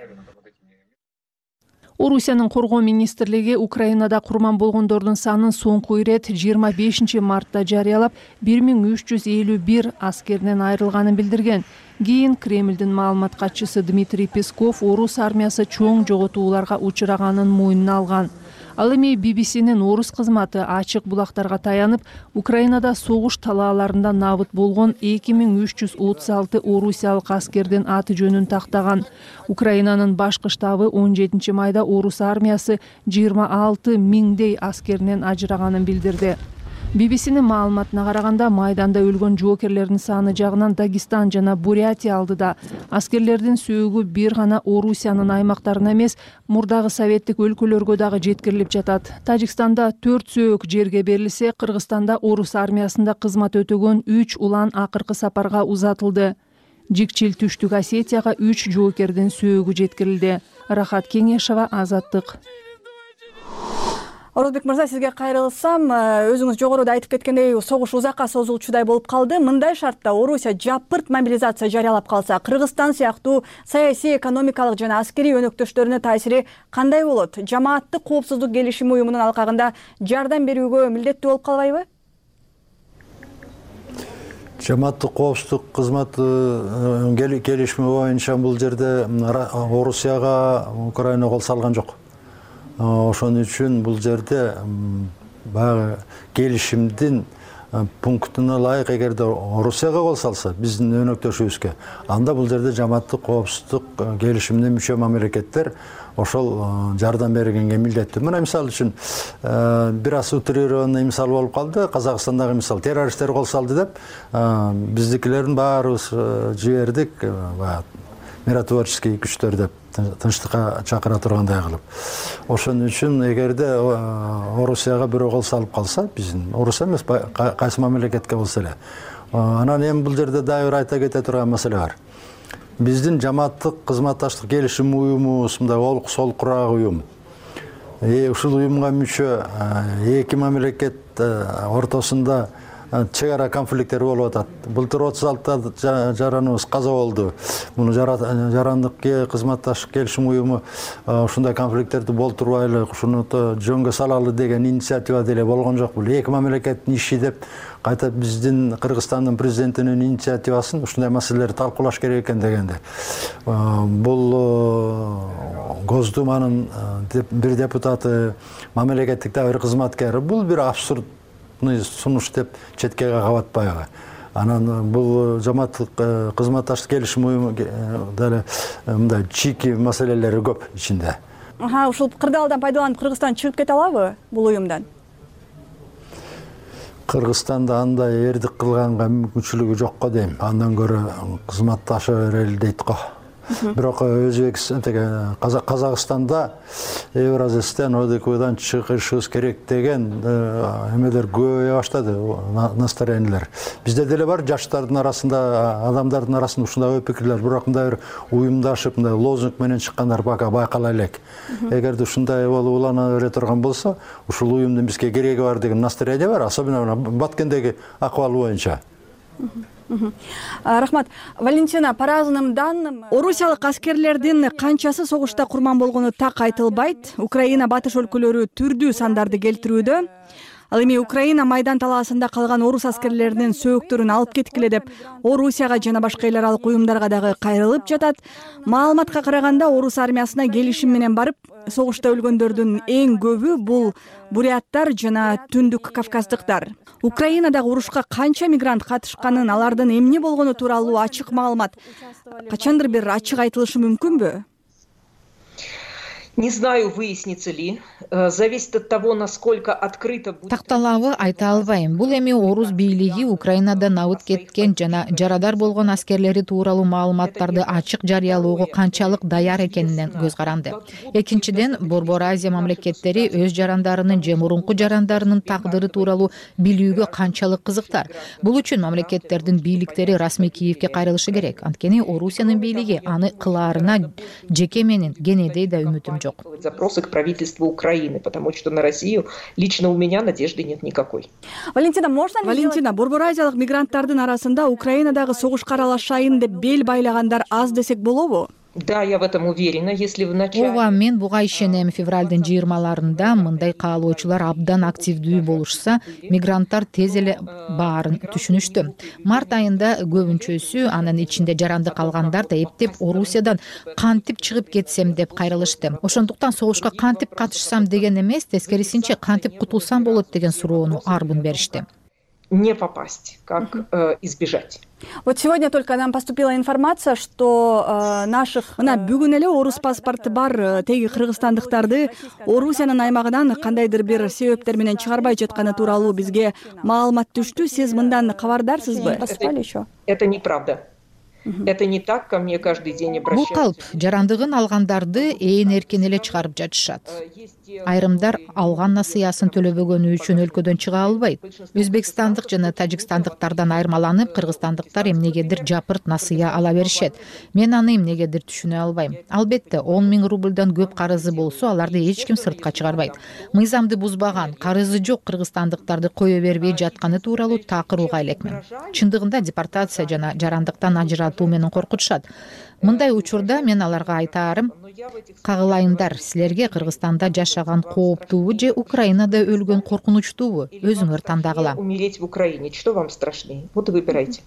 Speaker 3: Орусиянын коргоо министрлиги Украинада курман болгондордун санын соңку ирет 25 мартта жарыялап, 1351 аскерден айрылганын билдирген. Кийин Кремлдин маалымат катчысы Дмитрий Песков орус армиясы чоң жоготууларга учураганын мойнуна алган. Ал эми BBC-нин орус кызматы ачык булактарга таянып, Украинада согуш талааларында набыт болгон 2336 орусиялык аскердин аты жөнүн тактаган. Украинанын башкы штабы 17 майда орус армиясы 26 миңдей аскеринен ажыраганын билдирди. BBC-нин маалыматына караганда, майданда өлгөн жоокерлердин саны жагынан Дагестан жана Бурятия алдыда. Аскерлердин сөөгү бир гана Орусиянын аймактарына эмес, мурдагы советтик өлкөлөргө дагы жеткирилип жатат. Тажикстанда 4 сөөк жерге берилсе, Кыргызстанда орус армиясында кызмат өтөгөн 3 улан акыркы сапарга узатылды. Жикчил Түштүк Осетияга 3 жоокердин сөөгү жеткирилди. Рахат Кеңешова, Азаттык.
Speaker 23: Орозбек мырза, сизге кайрылсам, өзүңүз жогоруда айтып кеткендей, согуш узакка созулчудай болуп калды. Мындай шартта Орусия жапырт мобилизация жарыялап калса, Кыргызстан сыяктуу саясий, экономикалык жана аскерий өнөктөштөрүнө таасири кандай болот? Жамааттык коопсуздук келишими уюмунун алкагында жардам берүүгө милдеттүү болуп калбайбы?
Speaker 4: Жамааттык коопсуздук кызматы келишими боюнча бул жерде Орусияга Украина кол салган жок. Ошон үчүн бул жерде баягы келишимдин пунктуна ылайык эгерде Орусияга кол салса, биздин өнөктөшүбүзгө, анда бул жерде жамааттык коопсуздук келишимине мүчө мамлекеттер ошол жардам бергенге милдеттүү. Мына мисалы үчүн бир аз утрированный мисал болуп калды. Казакстандагы мисал, террористтер кол салды деп, биздикилердин баарыбыз жибердик, миротворческий күчтөр деп, тынчтыкка чакыра тургандай кылып. Ошон үчүн эгерде Орусияга бирөө кол салып калса, биздин Орусия эмес, кайсы мамлекетке болсо эле. Анан эми бул жерде дагы бир айта кете турган маселе бар. Биздин жамааттык кызматташтык келишим уюмубуз мындай олук солкураак уюм. Ушул уюмга мүчө эки мамлекет ортосунда чек ара конфликттер болуп атат. Былтыр 36 жараныбыз каза болду. Муну жарандык кызматташтык келишим уюму ушундай конфликттерди болтурбайлы, ушуну жөнгө салалы деген инициатива деле болгон жок. Бул эки мамлекеттин иши деп, кайта биздин Кыргызстандын президентинин инициативасын ушундай маселелерди талкуулаш керек экен дегенде. Бул Госдуманын бир депутаты, мамлекеттик да бир кызматкери, бул бир абсурд сунуш деп четке кабатпайбы. Анан бул жамааттык кызматташтык келишим уюму деле мындай чийки маселелери көп ичинде.
Speaker 23: Ушул кырдаалдан пайдаланып Кыргызстан чыгып кете алабы бул уюмдан?
Speaker 4: Кыргызстанда андай эрдик кылганга мүмкүнчүлүгү жокко дейм. Андан көрө кызматташа берели дейт го. Бирок Казакстанда Евразиястан ОДКБдан чыгышыбыз керек деген эмелер көбөйө баштады, настроениялер. Бизде деле бар жаштардын арасында, адамдардын арасында ушундай ой пикирлер, бирок мындай бир уюмдашып, мындай лозунг менен чыккандар бака байкала элек. Эгерде ушундай болуп улана бере турган болсо, ушул уюмдун бизге кереги бар деген настроение бар, особенно Баткендеги акыбал боюнча.
Speaker 23: Рахмат. Валентина, по разным данным, орусиялык аскерлердин канчасы согушта курман болгону так айтылбайт. Украина батыш өлкөлөрү түрдүү сандарды келтирүүдө. Ал эми Украина майдан талаасында калган орус аскерлеринин сөөктөрүн алып кеткиле деп Орусияга жана башка эл аралык уюмдарга дагы кайрылып жатат. Маалыматка караганда орус армиясына келишим менен барып, согушта өлгөндөрдүн эң көбү бул буряттар жана түндүк кавказдыктар. Украинадагы урушка канча мигрант катышканын, алардын эмне болгону тууралуу ачык маалымат качандыр бир ачык айтылышы мүмкүнбү?
Speaker 24: Не знаю, выяснится ли. Зависит от того, насколько открыто будет.
Speaker 12: Такталабы айта албайм. Бул эми орус бийлиги Украинада набыт кеткен жана жарадар болгон аскерлери тууралуу маалыматтарды ачык жарыялоого канчалык даяр экенинен көз каранды. Экинчиден, Борбор Азия мамлекеттери өз жарандарынын же мурунку жарандарынын тагдыры тууралуу билүүгө канчалык кызыктар. Бул үчүн мамлекеттердин бийликтери расмий Киевке кайрылышы керек. Анткени Орусиянын бийлиги аны кылаарына жеке менин кенедей да үмүтүм жок.
Speaker 24: Запросы к правительству Украины, потому что на Россию лично у меня надежды нет никакой.
Speaker 23: Валентина, Борбор Азиялык мигранттардын арасында Украинадагы согушка аралашайын деп бел байлагандар аз десек болобу?
Speaker 24: Да, я в этом уверена. Если в начале...
Speaker 12: Ооба, мен буга ишенем. Февралдын 20-ларында мындай каалоочулар абдан активдүү болушса, мигранттар тез эле баарын түшүнүштү. Март айында көбүнчөсү, анын ичинде жарандык алгандар да эптеп Орусиядан кантип чыгып кетсем деп кайрылышты. Ошондуктан согушка кантип катышсам деген эмес, тескерисинче кантип кутулсам болот деген суроону арбын беришти.
Speaker 24: Не попасть, как избежать.
Speaker 23: Вот сегодня только нам поступила информация, что мына бүгүн эле орус паспорты бар теги кыргызстандыктарды Орусиянын аймагынан кандайдыр бир себептер менен чыгарбай жатканы тууралуу бизге маалымат түштү. Сиз мындан кабардарсызбы?
Speaker 24: Это неправда. Это не так, ко мне каждый день обращаются.
Speaker 12: Бул калп, жарандыгын алгандарды ээн эркен эле чыгарып жатышат. Айрымдар алган насыясын төлөбөгөнү үчүн өлкөдөн чыга албайт. Өзбекстандык жана тажикстандыктардан айырмаланып, кыргызстандыктар эмнегедир жапырт насыя ала беришет. Мен аны эмнегедир түшүнө албайм. Албетте, 10 000 рубльдан көп карызы болсо, аларды эч ким сыртка чыгарбайт. Мыйзамды бузбаган, карызы жок кыргызстандыктарды кое бербей жатканы тууралуу такыр уга элекмин. Чындыгында депортация жана жарандыктан ажыратуу менен коркутушат. Мындай учурда мен аларга айтаарым, кагылайымдар, силерге Кыргызстанда жашаган кооптуубу же Украинада өлгөн коркунучтуубу? Өзүңөр тандагыла.
Speaker 24: Умереть в Украине, что вам страшнее? Вот и выбирайте.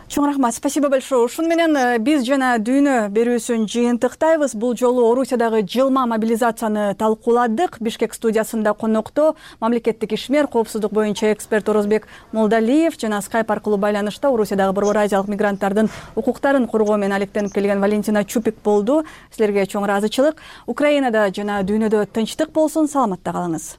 Speaker 23: Чоң рахмат, спасибо большое. Ушун менен биз жана дүйнө берүүсүн жыйынтыктайбыз. Бул жолу Орусиядагы жылма мобилизацияны талкууладык. Бишкек студиясында конокто мамлекеттик ишмер, коопсуздук боюнча эксперт Орозбек Молдалиев жана скайп аркылуу байланышта Орусиядагы Борбор Азиялык мигранттардын укуктарын коргоо менен алектенип келген Валентина Чупик болду. Силерге чоң ыраазычылык. Украинада жана дүйнөдө тынчтык болсун, саламатта калыңыз.